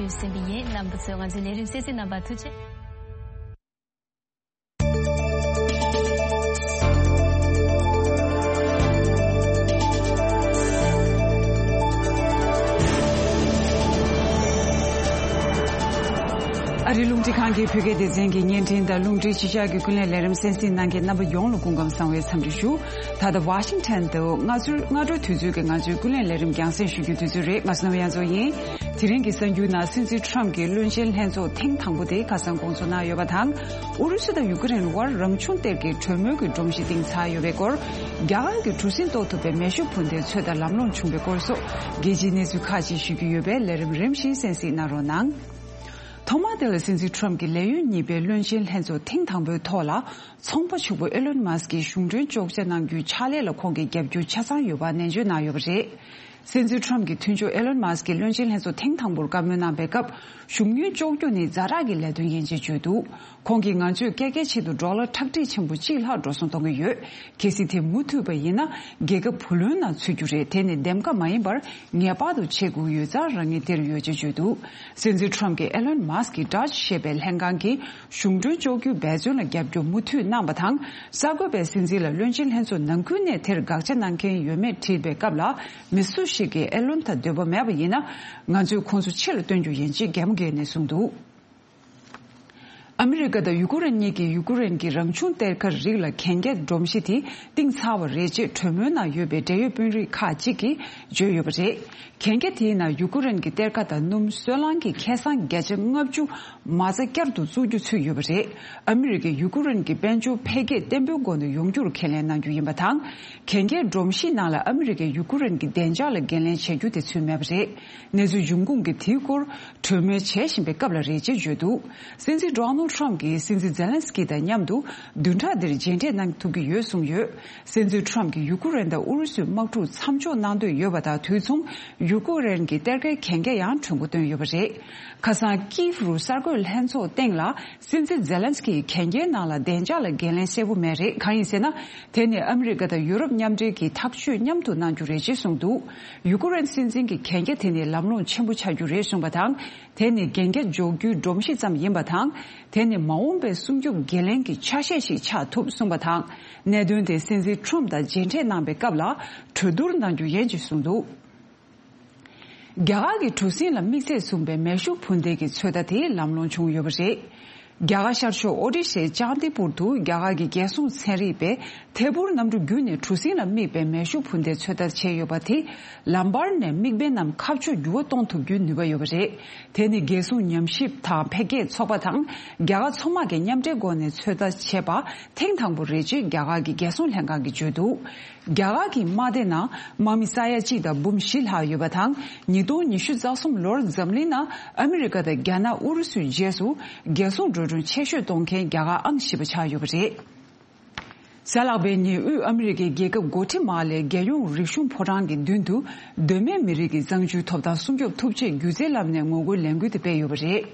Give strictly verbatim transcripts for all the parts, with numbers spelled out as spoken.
ཟིན་པ་ཡིན། རྣམ་པ་ཚོས་ང་ཚོའི་ལས་རིམ་གསན་གཟིགས་གནང་བར་ཐུགས་རྗེ་ཆེ། ཨ་རིའི་རླུང་འཕྲིན་ཁང་གི་བོད་སྐད་སྡེ་ཚན་གྱི་བརྙན་འཕྲིན་དང་རླུང་འཕྲིན་གཞིས་ཆགས་ཀྱི་ཀུན་གླེང་ལས་རིམ་གསན་གཟིགས་གནང་མཁན་རྣམ་པ་ཡོངས་ལ་སྐུ་ཁམས་བཟང་བའི་འཚམས་འདྲི་ཞུ། ད་ལྟ་ཝ་ཤིང་ཊོན་དུ་སྔ་དྲོའི་སྔ་དྲོའི་དུས་ཚོད་ཀྱི་ང་ཚོའི་ཀུན་གླེང་ལས་རིམ་རྒྱང་སྲིང་ཞུ་རྒྱུའི་དུས་ཚོད་རེད། ང་གསུམ་ཡང་ཚོ་ཡིན། དེ་རིང་གི་གསར་འགྱུར་ནང་སྲིད་འཛིན་ཁྲོམ་གྱིས་བློན་ཆེན་ལྷན་ཚོགས་ཐེངས་དང་པོ་དེ་ཁ་སང་དགོངས་ཚུལ་གནང་ཡོད་པ་དང་། ཨུ་རུ་སུ་དང་ཡུ་ཀེ་རེན་དབར་རང་བྱུང་གཏེར་གྱི་གྲོས་མོལ་གྱི་སྒྲོམ་གཞི་བཏིང་ཚར་ཡོད་པའི་སྐོར། རྒྱ་གར་གྱི་གྲུ་གཟིངས་གཏོར་ཐུབ་པའི་མེ་ཤུགས་འཕུར་མདེལ་ཚོད་ལྟ་ལམ་ལྷོང་བྱུང་བའི་སྐོར་སོགས་རྒྱལ་སྤྱིའི་གནས་ཚུལ་ཁག་ཅིག་ཞུ་རྒྱུ་ཡོད་པས་ལས་རིམ་རིམ་བཞིན་གསན་གཟིགས་གནང་རོགས་གནང་། ཐོག་མ་དེ་ལ་སྲིད་འཛིན་ཁྲོམ་གྱི་ལས་ཡུན་གཉིས་པའི་བློན་ཆེན་ལྷན་ཚོགས་ཐེངས་དང་པོའི་ཐོག་ལ་ཚོང་པ་ཕྱུག་པོ་ཨེ་ལོན་མཱ་སི་ཀྱིས་གཞུང་གྲོན་གཅོག་ཆ་གནང་རྒྱུའི་ཕྱག་ལས་ལ་ཁོང་གི་རྒྱབ་སྐྱོར་ཆ་ཚང་ཡོད་པ་ནན་བརྗོད་གནང་ཡོད་པ་རེད། སྲིད་འཛིན་ཁྲོམ་གྱི་མཐུན་ཕྱོགས་ཨེ་ལོན་མཱ་སི་ཀྱིས་བློན་ཆེན་ལྷན་ཚོགས་ཐེངས་དང་པོར་བཀའ་མོལ་གནང་པའི་སྐབས། གཞུང་གྲོན་གཅོག་རྒྱུ་ནི་ཛ་དྲག་གི་ལས་དོན་ཡིན་ཅེས་བརྗོད་འདུག་ཁོང་གིས་ང་ཚོས་ཀེ་ཀེ་ཆེད་དུ་ཌོ་ལར་ཁྲག་ཁྲིག་ཆེན་པོ་གཅིག་ལྷག་འགྲོ་སོང་གཏོང་གི་ཡོད། གལ་སྲིད་དེ་མུ་མཐུད་པ་ཡིན་ན་རྒྱལ་ཁབ་བུ་ལོན་ནང་ཚུད་རྒྱུ་རེད། དེ་ནི་འདེམས་ཀ་མ་ཡིན་པར་ངེས་པར་དུ་བྱེད་དགོས་ཡོད་ཙང་རང་ཉིད་དེར་ཡོད་ཅེས་བརྗོད་འདུག་སྲིད་འཛིན་ཁྲོམ་གྱིས་ཨེ་ལོན་མཱ་སི་ཀྱི་ཌོཇ་ཞེས་པའི་ལྷན་ཁང་གིས་གཞུང་གྲོན་གཅོག་རྒྱུའི་འབད་བརྩོན་ལ་རྒྱབ་སྐྱོར་མུ་མཐུད་གནང་བ་དང་། གསར་འགོད་པས་སྲིད་འཛིན་ལ་བློན་ཆེན་ལྷན་ཚོགས་ནང་ཁུལ་ནས་དེར་དགག་བྱ་གནང་མཁན་ཡོད་མེད་དྲིས་པའི་སྐབས་ལ། མི་སུ་ཞིག་གིས་ཨེ་ལོན་དང་འདོད་པ་མེད་པ་ཡིན་ན། ང་ཚོས་ཁོང་ཚོ་ཕྱི་ལ་སྟོན་རྒྱུ་ཡིན་ཅེས་གད་མོ་བགད་ནས་གསུངས་འདུག་ཨ་མི་རི་ཀ་དང་ཡུ་ཀེ་རེན་གཉིས་ཀྱིས་ཡུ་ཀེ་རེན་གྱི་རང་བྱུང་གཏེར་ཁ་རིགས་ལ་གན་རྒྱ་སྒྲོམ་གཞི་དེ་བཏིང་ཚར་བ་རེད་ཅེས་གྲོས་མོལ་ནང་ཡོད་པའི་འབྲེལ་ཡོད་དཔོན་རིགས་ཁག་ཅིག་གིས་བརྗོད་ཡོད་པ་རེད། གན་རྒྱ་དེའི་ནང་ཡུ་ཀེ་རེན་གྱི་གཏེར་ཁ་དང་སྣུམ་སོལ་རླངས་ཀྱི་ཁེ་བཟང་བརྒྱ་ཆ་ལྔ་བཅུ་མ་རྩ་བསྐྱར་དུ་བཙུགས་རྒྱུ་ཚུད་ཡོད་པ་རེད། ཨ་མི་རི་ཀས་ཡུ་ཀེ་རེན་གྱི་དཔལ་འབྱོར་འཕེལ་རྒྱས་བརྟན་པོའི་སྒོ་ནས་ཡོང་རྒྱུར་ཁས་ལེན་གནང་རྒྱུ་ཡིན་པ་དང་། གན་རྒྱའི་སྒྲོམ་གཞིའི་ནང་ལ་ཨ་མི་རི་ཀས་ཡུ་ཀེ་རེན་གྱི་བདེ་འཇགས་ལ་འགན་ལེན་བྱ་རྒྱུ་དེ་ཚུད་མེད་པ་རེད། གནས་ཚུལ་འབྱུང་ཁུངས་ཀྱིས་དེའི་སྐོར་གྲོས་མོལ་བྱེད་བཞིན་པའི་སྐབས་ལ་རེད་ཅེས་བརྗོད་འདུག་སྲིད་འཛིན་ཌོ་ནལ་ཁྲོམ་གྱིས་སྲིད་འཛིན་ཛེ་ལན་སི་ཀི་དང་མཉམ་དུ་བདུན་ཕྲག་འདིར་མཇལ་འཕྲད་གནང་ཐུབ་ཀྱི་ཡོད་གསུངས་ཡོད། སྲིད་འཛིན་ཁྲོམ་གྱིས་ཡུ་ཀེ་རེན་དང་ཨུ་རུ་སུའི་དམག་འཁྲུག་མཚམས་འཇོག་གནང་འདོད་ཡོད་པ་དང་དུས་མཚུངས་ཡུ་ཀེ་རེན་གྱི་གཏེར་ཁའི་གན་རྒྱ་ཡང་གྲོན་འགོ་བཏོན་ཡོད་པ་རེད། ཁ་སང་ཀིབ་རུ་གསར་འགོད་ལྷན་ཚོགས་སྟེང་ལ་སྲིད་འཛིན་ཛེ་ལན་སི་ཀིས་གན་རྒྱའི་ནང་ལ་བདེ་འཇགས་ལ་འགན་ལེན་གསལ་པོ་མེད་རེད། གང་ཡིན་ཟེར་ན། དེ་ནི་ཨ་མི་རི་ཀ་དང་ཡུ་རོབ་མཉམ་འབྲེལ་གྱིས་ཐག་གཅོད་མཉམ་དུ་གནང་རྒྱུ་རེད་ཅེས་གསུངས་འདུག་ཡུ་ཀེ་རེན་སྲིད་འཛིན་གྱིས་གན་རྒྱ་དེ་ནི་ལམ་ལྷོང་ཆེན་པོ་ཆགས་རྒྱུ་རེད་གསུངས་པ་དང་། དེ་ནི་གན་རྒྱ་འཇོག་རྒྱུའི་སྒྲོམ་གཞི་ཙམ་ཡིན་པ་དང་། དེ་ནི་མ་འོངས་པའི་སྲུང་སྐྱོབ་འགན་ལེན་གྱི་ཆ་ཤས་ཤིག་ཆགས་ཐུབ་གསུངས་པ་དང་། གནད་དོན་དེ་སྲིད་འཛིན་ཁྲོམ་དང་མཇལ་འཕྲད་གནང་པའི་སྐབས་ལ་གྲོས་བསྡུར་གནང་རྒྱུ་ཡིན་ཅེས་གསུངས་འདུག་རྒྱ་གར་གྱི་གྲུ་གཟིངས་ལ་དམིགས་བསལ་བཟུང་པའི་མེ་ཤུགས་འཕུར་མདེལ་གྱི་ཚོད་ལྟ་དེ་ལམ་ལྷོང་བྱུང་ཡོད་པ་རེད། རྒྱ་གར་ཤར་ཕྱོགས་ཨོ་ཏི་ཤའི་ཅང་དི་པུར་དུ་རྒྱ་གར་གྱི་རྒྱལ་སྲུང་ཚན་རིག་པས་ཐད་འཕུར་གནམ་གྲུ་བརྒྱུད་ནས་གྲུ་གཟིངས་ལ་དམིགས་པའི་མེ་ཤུགས་འཕུར་མདེལ་ཚོད་ལྟ་བྱས་ཡོད་པ་དེས་ལམ་བར་ནས་དམིགས་འབེན་རྣམས་ཁ་ཕྱོགས་འགྱུར་བ་གཏོང་ཐུབ་རྒྱུའི་ནུས་པ་ཡོད་པ་རེད། དེ་ནི་རྒྱལ་སྲུང་ཉམས་ཞིབ་དང་འཕེལ་རྒྱས་ཚོགས་པ་དང་རྒྱ་གར་མཚོ་དམག་གིས་མཉམ་འབྲེལ་སྒོ་ནས་ཚོད་ལྟ་བྱས་པ་ཐེངས་དང་པོ་རེད་ཅེས་རྒྱ་གར་གྱི་རྒྱལ་སྲུང་ལྷན་ཁང་གིས་བརྗོད་འདུག་རྒྱ་གར་གྱི་དམག་སྡེ་ནང་དམག་མི་ས་ཡ་གཅིག་དང་འབུམ་བཞི་ལྷག་ཡོད་པ་དང་། ཉིས་སྟོང་ཉི་ཤུ་རྩ་གསུམ་ལོར་འཛམ་གླིང་ནང་ཨ་མི་རི་ཀ་དང་རྒྱ་ནག་ཨུ་རུ་སུའི་རྗེས་སུ་རྒྱལ་སྲུང་འགྲོ་གྲོན་ཆེ་ཤོས་གཏོང་མཁན་རྒྱ་གར་ཨང་བཞི་པ་ཆགས་ཡོད་པ་རེད། གཟའ་ལྷག་པའི་ཉིན་དབུས་ཨ་མི་རི་ཀའི་རྒྱལ་ཁབ་སྒོ་ཁྲི་མ་ལའི་རྒྱལ་ཡོངས་རིག་གཞུང་ཕོ་བྲང་གི་མདུན་དུ་གདོད་མའི་མི་རིགས་ཀྱི་གཙང་ཆུའི་ཐོབ་ཐང་སྲུང་སྐྱོབ་ཐུབ་ཆེད་སྒྱུ་རྩལ་ལམ་ནས་ངོ་རྒོལ་ལས་འགུལ་དེ་སྤེལ་ཡོད་པ་རེད།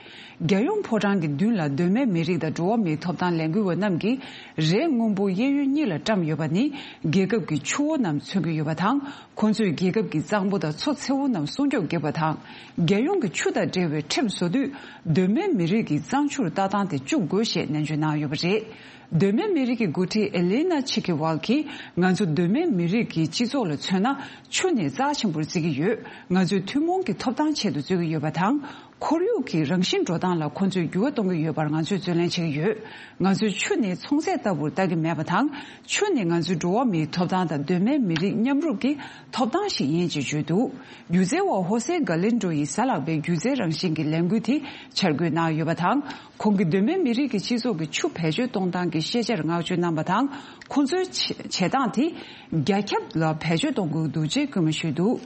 རྒྱལ་ཡོངས་ཕོ་བྲང་གི་མདུན་ལ་གདོད་མའི་མི་རིགས་དང་འགྲོ་བ་མིའི་ཐོབ་ཐང་ལས་འགུལ་བ་རྣམས་ཀྱིས་རས་སྔོན་པོ་གཡས་གཡོན་གཉིས་ལ་བཀྲམ་ཡོད་པ་ནི་རྒྱལ་ཁབ་ཀྱི་ཆུ་བོ་རྣམས་མཚོན་གྱི་ཡོད་པ་དང་། ཁོང་ཚོས་རྒྱལ་ཁབ་ཀྱི་གཙང་པོ་དང་མཚོ་མཚེའུ་རྣམས་སྲུང་སྐྱོབ་བགྱིས་པ་དང་། རྒྱལ་ཡོངས་ཀྱི་ཆུ་དང་འབྲེལ་བའི་ཁྲིམས་བཟོ་དུས་གདོད་མའི་མི་རིགས་ཀྱི་གཙང་ཆུར་ལྟ་སྟངས་དེ་བཅུག་དགོས་ཞེས་ནན་བརྗོད་གནང་ཡོད་པ་རེད། གདོད་མའི་མི་རིགས་ཀྱི་འགོ་ཁྲིད་ཨེ་ལི་ན་ཆི་ཁི་ཝལ་གྱིས་ང་ཚོ་གདོད་མའི་མི་རིགས་ཀྱི་སྤྱི་ཚོགས་ལ་མཚོན་ན་ཆུ་ནི་རྩ་ཆེན་པོར་བརྩི་གི་ཡོད། ང་ཚོས་ཐུན་མོང་གི་ཐོབ་ཐང་ཆེད་དུ་རྩོད་ཀྱི་ཡོད་པ་དང་། ཁོར་ཡུག་གི་རང་བཞིན་འགྲོ་སྟངས་ལ་ཁོ་ཚོས་འགྱུར་བ་གཏོང་གི་ཡོད་པར་ང་ཚོས་བརྩོན་ལེན་བྱེད་ཀྱི་ཡོད། ང་ཚོས་ཆུ་ནི་ཚོང་རྫས་ལྟ་བུར་ལྟ་གི་མེད་པ་དང་། ཆུ་ནི་ང་ཚོའི་འགྲོ་བ་མིའི་ཐོབ་ཐང་དང་གདོད་མའི་མི་རིགས་མཉམ་རུབ་ཀྱི་ཐོབ་ཐང་ཞིག་ཡིན་ཅེས་བརྗོད་འདུག་སྒྱུ་རྩལ་བ་ཧོ་སེ་ག་ལིན་ཌོ་ཡིས་གཟའ་ལྷག་པའི་སྒྱུ་རྩལ་རང་བཞིན་གྱི་ལས་འགུལ་དེ་འཆར་འགོད་གནང་ཡོད་པ་དང་། ཁོང་གིས་གདོད་མའི་མི་རིགས་ཀྱི་སྤྱི་ཚོགས་ཀྱི་ཆུ་བེད་སྤྱོད་གཏོང་སྟངས་ཀྱི་ཤེས་བྱར་བསྔགས་བརྗོད་གནང་བ་དང་། ཁོང་ཚོའི་བྱེད་བྱེད་སྟངས་དེ་རྒྱ་ཁྱབ་ལ་བེད་སྤྱོད་གཏོང་དགོས་འདུག་ཅེས་སྐུལ་མ་ཞུས་འདུག་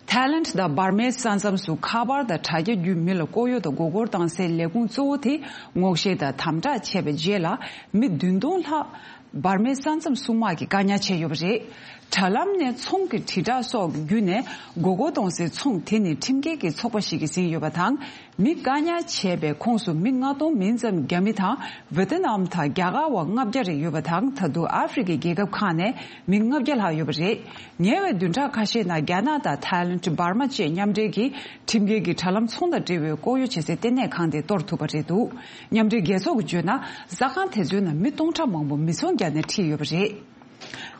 ཐའི་ལེནཌ་དང་འབར་མའི་ས་མཚམས་སུ་ཁ་པར་དང་དྲ་རྒྱ་བརྒྱུད་མི་ལ་ལྐོག་གཡོ་དང་མགོ་སྐོར་བཏང་སའི་ལས་ཁུངས་གཙོ་བོ་དེ་སྔོག་བཤེར་དང་དམ་དྲག་བྱས་པའི་རྗེས་ལ། མི་བདུན་སྟོང་ལྷག་ འབར་མའི་ས་མཚམས་སྲུང་དམག་གིས་བཀག་ཉར་བྱས་ཡོད་པ་རེད། དྲ་ལམ་ནས་ཚོང་གི་དྲིལ་བསྒྲགས་སོགས་བརྒྱུད་ནས་མགོ་སྐོར་གཏོང་སའི་ཚོང་དེ་ནི་ཁྲིམས་འགལ་གྱི་ཚོགས་པ་ཞིག་གིས་ཟིན་ཡོད་པ་དང་། མི་བཀག་ཉར་བྱས་པའི་ཁོངས་སུ་མི་ལྔ་སྟོང་མིན་ཙམ་རྒྱ་མི་དང་ཝེ་ཏི་ནམ་དང་རྒྱ་གར་བ་ལྔ་བརྒྱ་རེ་ཡོད་པ་དང་། ད་དུང་ཨ་ཧྥེ་རི་ཁའི་རྒྱལ་ཁབ་ཁག་ནས་མི་ལྔ་བརྒྱ་ལྷག་ཡོད་པ་རེད། ཉེ་བའི་བདུན་ཕྲག་ཁ་ཤས་ནང་རྒྱ་ནག་དང་ཐའི་ལེན་ཌི། འབར་མ་བཅས་མཉམ་འབྲེལ་གྱིས་ཁྲིམས་འགལ་གྱི་དྲ་ལམ་ཚོང་དང་འབྲེལ་བའི་ལྐོག་གཡོ་བྱེད་སའི་ལྟེ་གནས་ཁང་དེ་གཏོར་ཐུབ་པ་རེད་འདུག་མཉམ་འབྲེལ་རྒྱལ་ཚོགས་ཀྱིས་བརྗོད་ན། ཟ་ཁང་དེ་ཚོའི་ནང་མི་སྟོང་ཕྲག་མང་པོ་མི་ཚོང་རྒྱག་ནས་ཁྲིད་ཡོད་པ་རེད།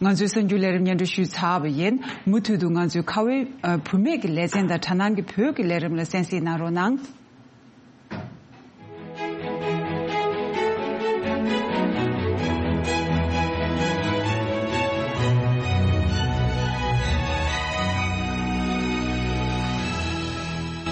ང་ཚོའི་གསར་འགྱུར་ལས་རིམ་སྙན་སྒྲོན་ཞུས་ཚར་བ་ཡིན། མུ་མཐུད་དུ་ང་ཚོའི་ཁ་བའི་བུད་མེད་ཀྱི་ལེ་ཚན་དང་དྲ་ནང་གི་བོད་ཀྱི་ལས་རིམ་ལ་གསན་གཟིགས་གནང་རོགས་གནང་།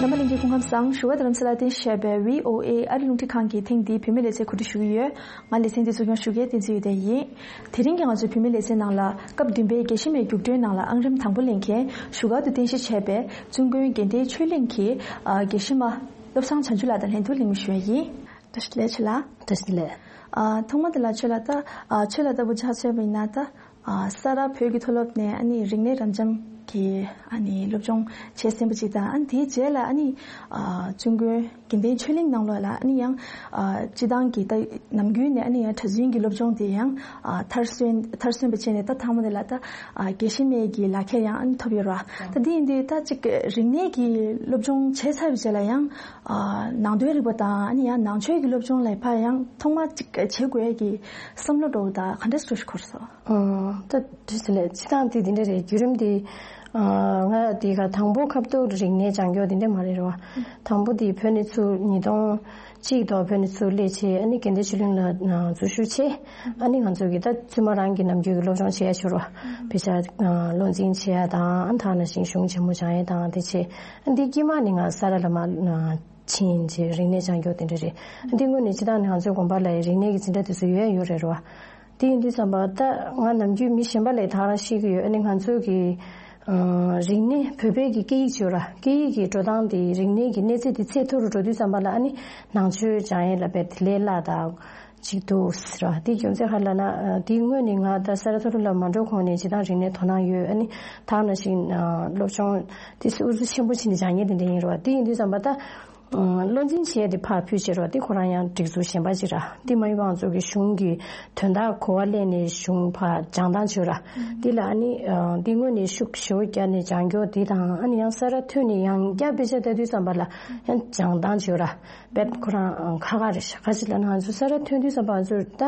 རྣམ་པ་ལྷན་རྒྱས་སྐུ་ཁམས་བཟང་། བཞུགས་སྒར་རྡ་རམ་ས་ལ་རྟེན་གཞི་བྱས་པའི་བྷི་ཨོ་ཨེ་ཨ་རི་རླུང་འཕྲིན་ཁང་གི་ཐེངས་འདིའི་བུད་མེད་ལེ་ཚན་གོ་སྒྲིག་ཞུ་གི་ཡོད། ང་ལེ་ཚན་འདི་གཙོ་སྐྱོང་ཞུ་མཁན་བསྟན་འཛིན་འོད་ལྡན་ཡིན། དེ་རིང་གི་ང་ཚོའི་བུད་མེད་ལེ་ཚན་ནང་ལ་སྐབས་བདུན་པའི་རྒྱལ་གཞི་མའི་རྒྱུགས་སྤྲོད་ནང་ལ་ཨང་རིམ་དང་པོ་ལེན་མཁན་བཞུགས་སྒར་དུ་རྟེན་གཞི་བྱས་པའི་བཙུན་དགོན་དགེ་ལྡན་ཆོས་གླིང་གི་ཨ་དགེ་བཤེས་མ་བློ་བཟང་བྱང་ཆུབ་ལགས་དང་ལྷན་དུ་གླེང་མོལ་ཞུ་ཡ་ཡིན། བཀྲ་ཤིས་བདེ་ལེགས་ཆོས་ལགས། བཀྲ་ཤིས་བདེ་ལེགས། ཨ་ཐོག་མ་དེ་ལ་ཆོས་ལགས་ད་ཨ་ཆོས་ལགས་ལྟ་བུ་ཆ་མཚོན་པ་ཡིན་ན་ད། ཨ་ས་རཱ་བོད་ཀྱི་མཐོ་སློབ་ནས་ཨ་ནི་རིག་གནས་རབ་འབྱམས་ཀྱི་ཨ་ནི་སློབ་སྦྱོང་བྱས་ཟིན་པ་ཅིག་དང་། ཨ་ནི་དེའི་རྗེས་ལ་ཨ་ནི་ཨ་བཙུན་དགོན་དགེ་ལྡན་ཆོས་གླིང་ནང་ལོགས་ལ་ཨ་ནི་ཡང་ཨ་སྤྱི་བཏང་གི་ད་ནམ་རྒྱུན་ནས་ཨ་ནི་ཡང་གྲྭ་བཙུན་གྱི་སློབ་སྦྱོང་དེ་ཡང་ཨ་མཐར་སོན་མཐར་སོན་པ་བྱས་ནས་ད་ཐང་མོ་དེ་ལ་ད་ཨ་དགེ་བཤེས་མའི་གི་ལག་ཁྱེར་ཡང་ཨ་ནི་ཐོབ་ཡོད་ར། ད་དེ་ཡིན་དུས་ད་ཅིག་རིག་གནས་ཀྱི་སློབ་སྦྱོང་བྱས་ཚར་བའི་རྗེས་ལ་ཡང་ཨ་ནང་དོན་རིག་པ་དང་ཨ་ནི་ཡང་ནང་ཆོས་ཀྱི་སློབ་སྦྱོང་ལ་ཕར་ཡང་ཐོག་མ་ཅིག་བྱེད་དགོས་ཡ་གི་བསམ་བློ་འདྲ་བོ་ད་ག་འདྲ་འདྲ་ཞིག་འཁོར་སོང་། ཨ། ད་དུས་ཚོད་ལས་སྤྱི་བཏང་དེ་འདི་འདྲ་རེད། བརྒྱུད་རིམ་དེ་ཨ་ང་དེ་ག་དང་པོ་ཁ་ཐོག་རིག་གནས་སྦྱང་རྒྱུ་དེ་འདྲ་མ་རེད་རོ། དང་པོ་དེ་བོད་ནས་ཚུར་ཉིས་སྟོང་གཅིག་ཐོག་བོད་ནས་ཚུར་སླེབས་བྱས། ཨ་ནི་དགེ་ལྡན་ཆོས་གླིང་ལ་འཛུལ་ཞུགས་བྱས། ཨ་ནི་ང་ཚོ་གི་ད་བཙུན་མ་རང་གི་ནམ་རྒྱུན་གྱི་སློབ་སྦྱོང་བྱེད་ཡ་ཞུ་རོ། དཔེ་ཆ་བློ་འཛིན་བྱེད་ཡ་དང་། ཨ་ནི་ད་ནང་བཞིན་གཞུང་ཆེན་མོ་སྦྱང་ཡ་དང་དེ་བྱས། ཨ་འདི་དཀྱིལ་མ་ནི་ང་ས་རཱ་ལ་མ་ཕྱིན་བྱས་རིག་གནས་སྦྱང་རྒྱུ་དེ་འདྲ་རེད། འདི་དངོས་གནས་སྤྱི་བཏང་ནས་ང་ཚོའི་དགོན་པ་ལ་རིག་གནས་ཀྱི་འཛིན་གྲྭ་དེ་ཚོ་ཡོད་ཡོད་རེད་རོ། དེ་ཡིན་དུས་ཙམ་པ་ད་ང་ནམ་རྒྱུན་མི་གཞན་པ་ལས་ད་རང་ཤེས་ཀྱི་ཡོད། ཨ་ནི་ང་ཚོ་གི་ཨ་རིག་གནས་བོད་པའི་གི་སྐད་ཡིག་བརྗོད་ར། སྐད་ཡིག་གི་འགྲོ་སྟངས་དེ་རིག་གནས་ཀྱི་གནས་ཚད་དེ་ཚད་མཐོ་རུ་འགྲོ་དུས་ཙམ་པ་ལ་ཨ་ནི་ནང་ཆོས་སྦྱང་ཡས་ལ་རྦད་དེ་ལས་སླ་དང་ཅིག་འདུག་ཟེར་བ་དེ་རྒྱུ་མཚན་ག་རེ་ལབ་ན། དེ་དངོས་ནས་ང་ད་ས་རཱ་མཐོ་སློབ་ལ་མ་འགྲོ་གོང་ནས་སྤྱི་བཏང་རིག་གནས་དོ་སྣང་ཡོད། ཨ་ནི་ད་ནང་བཞིན་སློབ་སྦྱོང་དེ་ཧུར་བརྩོན་ཆེན་པོ་བྱས་ནས་སྦྱང་མཁན་དེ་འདྲ་ཡིན་རེད་བ། དེ་ཡིན་དུས་ཙམ་པ་ད། བློ་འཛིན་བྱས་ཏེ་ཕར་ཕུལ་བྱེད་རོགས་དེ་ཁོ་རང་ཡང་སྒྲིག་འཛུགས་གཞན་པ་ཅིག་ར། དེ་མ་ཡིན་པ་ང་ཚོ་གི་གཞུང་གི་དོན་དག་གོ་བ་ལེན་ནས་གཞུང་ཕར་སྦྱང་སྟངས་བྱོས་ར། དེ་ལ་ཨ་ནི་དེ་དངོས་ནས་ཤུགས་ཞེ་པོ་བརྒྱབ་ནས་སྦྱང་རྒྱུ་དེ་དང་། ཨ་ནི་ཡང་ས་རཱ་ཐོན་ནས་ཡང་བསྐྱར་དཔེ་ཆ་ལྟ་དུས་ཙམ་པ་ལ་ཡང་སྦྱང་སྟངས་བྱོས་ར། རྦད་ཁོ་རང་ཁག་ཁག་རེད་ཤག་ག་ཅི་ལབ་ན་ང་ཚོ་ས་རཱ་ཐོན་དུས་ཙམ་པ་ང་ཚོ་ད་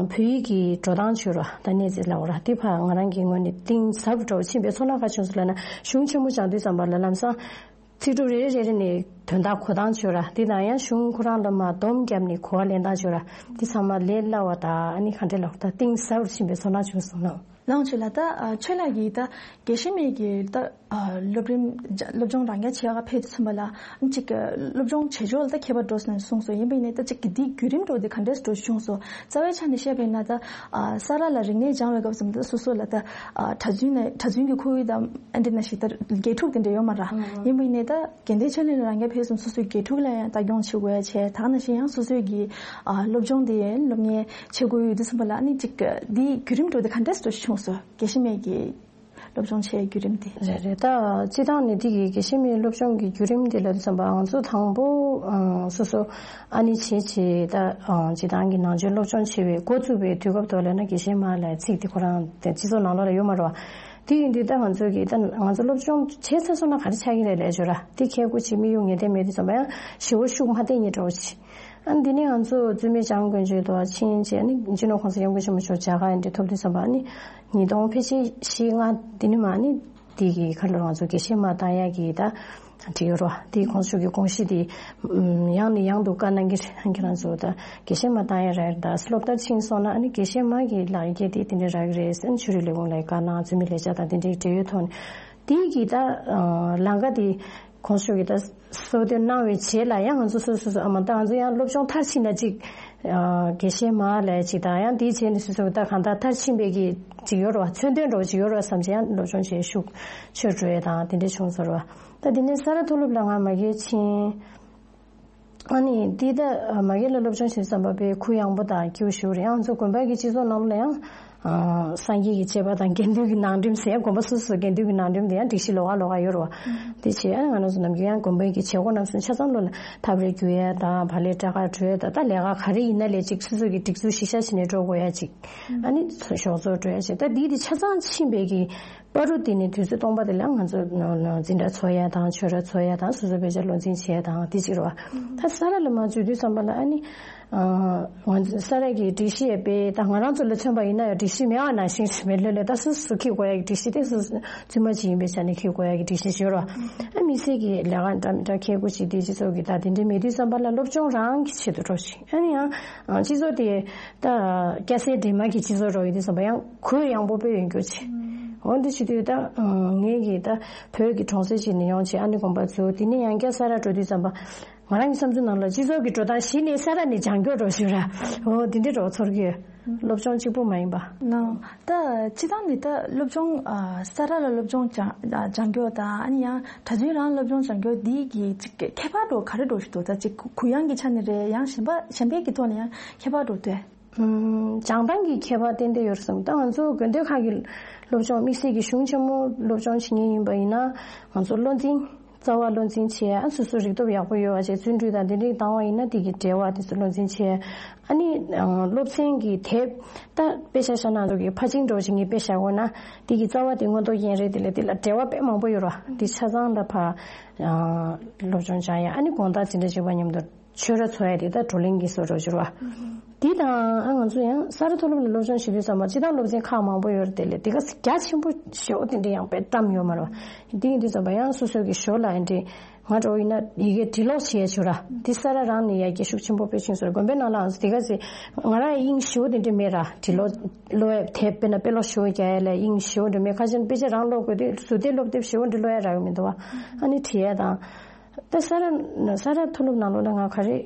བོད་ཡིག་གི་འགྲོ་སྟངས་བྱོས་ར། ད་གནས་ཚད་ལབ་ར། དེ་ཕར་ང་རང་གི་ངོས་ནས་གཏིང་ཟབ་འགྲོ་བ་ཕྱིན་པའི་ཚོར་སྣང་ག་བྱུང་སོང་ལབ་ན། གཞུང་ཆེན་མོ་སྦྱང་དུས་ཙམ་པ་ལ་ལམ་སང་། ཚིག་གྲུབ་རེ་རེ་རེ་རེ་ནས་དོན་དག་གོ་སྟངས་བྱོས་ར། དེ་དང་ཡང་གཞུང་ཁོ་རང་ལ་མར་སྡོམ་བརྒྱབ་ནས་གོ་བ་ལེན་སྟངས་བྱོས་ར། དེ་ཚང་མ་ལས་སླ་བ་དང་། ཨ་ནི་ག་འདྲ་ལབ་ད་གཏིང་ཟབ་རུ་ཕྱིན་པའི་ཚོར་སྣང་བྱུང་སོང་ན། ལགས་ཆོས་ལགས། ད་ཨ་ཆོས་ལགས་ཀྱིས་ད་དགེ་བཤེས་མའི་གི་ད་ཨ་སློབ་རིམ་སློབ་སྦྱོང་རང་རྐྱ་བྱེད་ཡག་ཕེབས་དུས་ཙམ་པ་ལ་ཨ་ནི་ཅིག་སློབ་སྦྱོང་བྱེད་ཕྱོགས་ལ་ད་ཁྱད་པར་འགྲོ་སོང་ནས་གསུངས་སོང་། ཡིན་པ་ཡིན་ནའི་ད་ཅིག་གི་འདིའི་བརྒྱུད་རིམ་འགྲོ་དེ་ག་འདྲས་འགྲོ་བྱུང་སོང་། རྩ་བའི་ཆ་ནས་བཤད་པ་ཡིན་ན་ད་ཨ་ས་རཱ་ལ་རིག་གནས་སྦྱང་བའི་སྐབས་སུ་ད་སོ་སོ་ལ་ད་ཨ་གྲྭ་བཙུན་ནས་གྲྭ་བཙུན་གྱི་ཁོར་ཡུག་དང་ཨ་འདྲ་ནང་བཞིན་ད་དགེ་ཕྲུག་དེ་འདྲ་ཡོད་མ་རེད། ཡིན་པ་ཡིན་ནའི་ད་དགེ་ལྡན་ཆོས་གླིང་ལ་རང་རྐྱ་ཕེབས་སོང་། སོ་སོའི་དགེ་ཕྲུག་ལ་ཡང་ལྟ་སྐྱོང་བྱེད་དགོས་ཡ་བྱས། ད་ག་ནང་བཞིན་ཡང་སོ་སོའི་གི་ཨ་སློབ་སྦྱོང་དེ་སློབ་གཉེར་བྱེད་དགོས་ཡོད་དུས་ཙམ་པ་ལ་ཨ་ནི་ཅིག་འདིའི་བརྒྱུད་རིམ་འགྲོ་དེ་ག་འདྲས་འགྲོ་བྱུང་སོང་། དགེ་བཤེས་མའི་གི་སློབ་སྦྱོང་བྱེད་བརྒྱུད་རིམ་དེ། རེད་རེད། ད་སྤྱི་བཏང་ནས་འདི་གི་དགེ་བཤེས་མའི་སློབ་སྦྱོང་གི་བརྒྱུད་རིམ་དེ་ལབ་དུས་ཙམ་པ་ང་ཚོ་དང་པོ་ཨ་སོ་སོ་ཨ་ནི་བྱས་བྱས་ད་ཨ་སྤྱི་བཏང་གི་ནང་ཆོས་སློབ་སྦྱོང་བྱེད་པའི་འགོ་བཙུགས་པའི་དུས་སྐབས་ཐོག་ལབ་ན་དགེ་བཤེས་མ་ལབ་ཚིག་དེ་ཁོ་རང་དེ་སྤྱི་ཚོགས་ནང་ལོགས་ལ་ཡོད་མ་རེད་བ། དེ་ཡིན་དུས་ད་ང་ཚོ་གི་ད་ང་ཚོ་སློབ་སྦྱོང་བྱས་ཚར་སོང་ན་ག་རེ་ཆགས་ཀྱི་རེད་ལབ་ཞོར་ར། དེ་ཁྱེད་སྐུ་མཁྱེན་མི་ཡོང་ངེས་གཏན་མེད་དུས་ཙམ་པ་ཡང་ཞེ་པོ་ཤུགས་མ་བཏོན་ཉེ་འགྲོ་བྱེད། ཨ་ནི་འདི་ནས་ང་ཚོ་བཙུན་མའི་སྐྱབས་མགོན་ཆེན་དུ་ཕྱིན་བྱས་ནི་སྤྱི་ནོར་༸གོང་ས་༸སྐྱབས་མགོན་ཆེན་པོ་མཆོག་མཇལ་ཁ་འདི་ཐོབ་དུས་ཙམ་པ་ནི་ཉིས་སྟོང་ཕལ་ཆེར་བཞི་ལྔ་འདི་ནི་མ་ནི་འདི་གི་ཁ་ལོ་ང་ཚོ་དགེ་བཤེས་མ་བཏང་ཡ་གི་ད་འགྲིག་ཡོད་རོ། འདི་ཁོང་ཚོ་གི་དགོངས་གཞི་འདི་ཡང་ནས་ཡང་དུ་བཀའ་གནང་གི་རེད། ཁྱེད་རང་ཚོ་ད་དགེ་བཤེས་མ་བཏང་ཡ་རེད། ད་སློབ་མཐར་ཕྱིན་སོང་ན་ཨ་ནི་དགེ་བཤེས་མ་གི་ལག་འཁྱེར་དེ་དེ་འདྲ་རག་གི་རེད་ཟེར། ཆོས་རིག་ལས་ཁུངས་ལ་བཀའ་གནང་། འཛིན་མའི་ལས་བྱ་དང་དེ་འདྲའི་འབྲེལ་ཡོད་ཐོག་ནས་དེ་གི་ད་ལམ་ཀ་དེ་ཁོང་ཚོ་གི་ད་གསོལ་སྟོན་གནང་བའི་རྗེས་ལ་ཡང་ང་ཚོ་སོ་སོ་སོ་ཨ་མ་ད་ང་ཚོ་ཡང་སློབ་སྦྱོང་མཐར་ཕྱིན་ན་ཅིག་དགེ་བཤེས་མ་ལས་ཅིག་དང་ཡང་དེའི་རྗེས་ནས་སོ་སོ་ད་གང་ལྟར་མཐར་ཕྱིན་པའི་གི་ཅིག་ཡོད་རེད་བ། མཚོན་དོན་འདྲ་བོ་ཅིག་ཡོད་རེད་བ་བསམ་བྱས་ཡང་སློབ་སྦྱོང་བྱས་ཤུགས་ཆེར་འགྲོ་ཡས་དང་དེ་འདྲ་བྱུང་སོང་རེད་བ། ད་དེ་ནས་ས་རཱ་མཐོ་སློབ་ལ་ང་མ་གིར་ཕྱིན། ཨ་ནི་འདི་ད་མ་གི་ལ་སློབ་སྦྱོང་བྱེད་བསམ་པ་པའི་གུ་ཡངས་པོ་དང་སྐྱིད་པོ་ཞིག་རེད། ཡང་ང་ཚོ་དགོན་པ་གི་སྤྱི་ཚོགས་ནང་ལ་ཡང་སངས་རྒྱས་ཀྱི་བཅས་པ་དང་དགེ་འདུན་གྱི་ནང་ཁྲིམས་ཟེར། དགོན་པ་སོ་སོའི་དགེ་འདུན་གྱི་ནང་ཁྲིམས་དེ་ཡང་སྒྲིག་གཞི་ལོགས་ཀ་ལོགས་ཀ་ཡོད་རེད་བ། དེ་བྱས་ཨ་ང་རང་ཚོ་ནམ་རྒྱུན་ཡང་དགོན་པའི་གི་བྱེད་སྒོ་རྣམས་སུ་ཆ་ཚང་ལོ་ལ་ཐབ་རེ་རྒྱུ་ཡ་དང་བག་ལེབ་སྐྲ་དཀར་བྲོ་ཡ་དང་། ད་ལས་ཀ་ག་རེ་ཡིན་ན་ལས་ཅིག་སོ་སོ་གི་སྒྲིག་འཛུགས་གཞི་བཞག་བྱས་ནས་འགྲོ་དགོས་ཡ་ཅིག་ཨ་ནི་ཞོགས་ཚོགས་འགྲོ་ཡ་ཅིག་ད་འདི་དེ་ཆ་ཚང་ཕྱིན་པའི་གི་བར་དུ་དེ་ནས་དུས་ཚོད་སྟོང་པ་དེ་ལ་ང་ཚོ་འཛིན་གྲྭ་འཚོགས་ཡ་དང་ཆོས་ར་འཚོགས་ཡ་དང་སོ་སོ་དཔེ་ཆ་བློ་འཛིན་བྱེད་ཡ་དང་དེ་གཅིག་རེད་བ། ད་ས་ར་ལ་མ་འཛུལ་དུས་ཙམ་པ་ལ་ཨ་ནི་ང་ཚོ་ས་ར་གི་སྒྲིག་གཞི་ཡས་པས་ད་ང་རང་ཚོ་ལ་མཚོན་པ་ཡིན་ན་ཡང་སྒྲིག་གཞི་མེད་པ་ནང་བཞིན་རེད། མེད་ལོས་ལས་ད་སོ་སོ་འཁྱེར་དགོས་ཡ་གི་སྒྲིག་གཞི་དེ་སོ་སོ་བཙུན་མ་ཅིག་ཡིན་པའི་ཆ་ནས་འཁྱེར་དགོས་ཡ་གི་སྒྲིག་གཞི་ཡོད་རེད་བ། ཨ་དམིགས་བསལ་གྱི་ལས་ཀ་འདྲ་མི་འདྲ་འཁྱེར་དགོས་ཅིག་དེ་སྤྱི་ཚོགས་ཀྱི་ད་དེ་འདྲ་མེད་དུས་ཙམ་པ་ལ་སློབ་སྦྱོང་རང་གི་ཆེད་དུ་འགྲོ་ཞིང་ཨ་ནི་ཡང་སྤྱི་ཚོགས་དེ། ད་སྐྱ་སེར་འདྲེས་མ་གི་སྤྱི་ཚོགས་རོགས་ཡིན་དུས་ཙམ་པ་ཡང་གུ་ཡངས་པོ་དཔེ་ཡོད་རྒྱུ་ཆེ། འོ་འདི་བྱེད་དུས་ད་ངས་ཀྱིས་ད་བོད་ཀྱི་གྲོང་གསེབ་ཅིག་ནས་ཡོང་བྱས་ཨ་ནི་དགོན་པ་ཚུར་དེ་ནས་ཡང་བསྐྱར་ས་ར་འགྲོ་དུས་ཙམ་པ་ང་རང་གི་བསམ་ཚུལ་ནང་ལ་སྤྱི་ཚོགས་ཀྱི་འགྲོ་སྟངས་གཞི་ནས་ས་ར་ནས་སྦྱང་སྐྱོར་འགྲོ་ཞུ་ར། འོ་འདི་འདྲའི་རོགས་ཚོར་གི་ཡོད། སློབ་སྦྱོང་གཅིག་པུ་མ་ཡིན་པ། ན། ད་སྤྱི་བཏང་ནས་ད་སློབ་སྦྱོང་ས་ར་ལ་སློབ་སྦྱོང་སྦྱང་སྦྱང་སྐྱོར་དང་ཨ་ནི་ཡང་གྲྭ་བཙུན་རང་སློབ་སྦྱོང་སྦྱང་སྐྱོར་འདི་གི་ཅིག་ཁྱད་པར་འགྲོ་ག་རེ་འགྲོ་ཞིག་འདུག་ད་ཅིག་གུ་ཡངས་ཀྱི་ཆ་ནས་རེད། ཡང་གཞན་པ་གཞན་པའི་གི་ཐོག་ནས་ཡང་ཁྱད་པར་འགྲོ་དུས། ཨུམ། སྦྱང་སྟངས་ཀྱི་ཁྱད་པར་ཏན་ཏན་ཡོད་རེད་བསམ། ད་ང་ཚོ་དགོན་སྡེ་ཁག་གི་སློབ་སྦྱོང་དམིགས་བསལ་གྱི་གཞུང་ཆེན་མོ་སློབ་སྦྱོང་བྱེད་མཁན་ཡིན་པ་ཡིན་ན་ང་ཚོ་བློ་འཛིན་རྩ་བ་བློ་འཛིན་བྱས་ཨ་སོ་སོ་རིག་སྟོབས་ཡག་པོ་ཡོད་པ་བྱས་བརྩོན་འགྲུས་དང་དེ་འདྲའི་བཏང་བ་ཡིན་ན་དེ་གི་འབྲེལ་བ་དེ་ཚོ་བློ་འཛིན་བྱས། ཨ་ནི་སློབ་ཚན་གྱི་དེབ་ད་དཔེ་ཆ་ཤ་ནང་ཚོ་གི་ཕར་ཕྱིན་འགྲོ་བྱེད་མཁན་དཔེ་བཞག་དགོས་ན་དེ་གི་རྩ་བ་དེ་མངོན་རྟོགས་རྒྱན་རེད། དེ་ལ་དེ་ལ་འབྲེལ་བ་དཔེ་མང་པོ་ཡོད་རེད་བ། དེ་ཆ་ཚང་ལ་ཕར་སློབ་སྦྱོང་སྦྱང་ཡ་ཨ་ནི་དགོང་དག་འཛིན་གྲྭ་གཅིག་པ་མཉམ་དུ། ཆོས་ར་འཚོགས་ཡ་དེ་ད་བགྲོ་གླེང་གི་བཟོ་འདྲ་ཅིག་རེད་བ། དེ་དང་ཨ་ང་ཚོ་ཡང་ས་ར་མཐོ་སློབ་ལ་སློབ་སྦྱོང་བྱེད་དུས་ཙམ་པ་སྤྱི་བཏང་སློབ་ཚན་ཁག་མང་པོ་ཡོད་རེད། དེ་ལས་དེ་ག་རྒྱ་ཆེན་པོ་ཞེ་པོ་དེ་འདྲ་ཡང་དཔེ་བཀྲམ་ཡོད་མ་རེད་བ། དེ་ཡིན་དུས་ཙམ་པ་ཡང་སོ་སོ་གི་ཞོར་ལ་ཨེ་འདྲས་ང་འདྲ་བོ་ཡིན་ན་ཡི་གེ་འབྲི་ཀློག་བྱེད་ཡ་ཅིག་ར། དེ་ས་ར་རང་ནས་ཡར་རྒྱས་ཤུགས་ཆེན་པོ་དཔེ་ཕྱིན་སོང་ར། དགོན་པའི་ནང་ལའང་དེ་ག་ཚེ་ང་རང་དབྱིངས་ཞེ་པོ་དེ་འདྲ་མེད་ར། འབྲི་ཀློག་ཀློག་ཡ་དེབ་དཔེར་ན་དཔེ་ཀློག་ཞེ་པོ་རྒྱག་ཡ་ལ་དབྱིངས་ཞེ་པོ་འདྲ་མེད། ཁ་ཤས་དཔེ་ཆ་རང་ཀློག་དགོས་དུས་ཟུར་དེབ་སློབ་དེབ་ཞེ་པོ་འདྲ་ཀློག་ཡ་རག་གི་མི་འདུག་བ། ཨ་ནི་བྲིས་ཡ་དང་། ད་ས་ར་ས་ར་མཐོ་སློབ་ནང་ལོགས་ལ་ང་ག་རེ་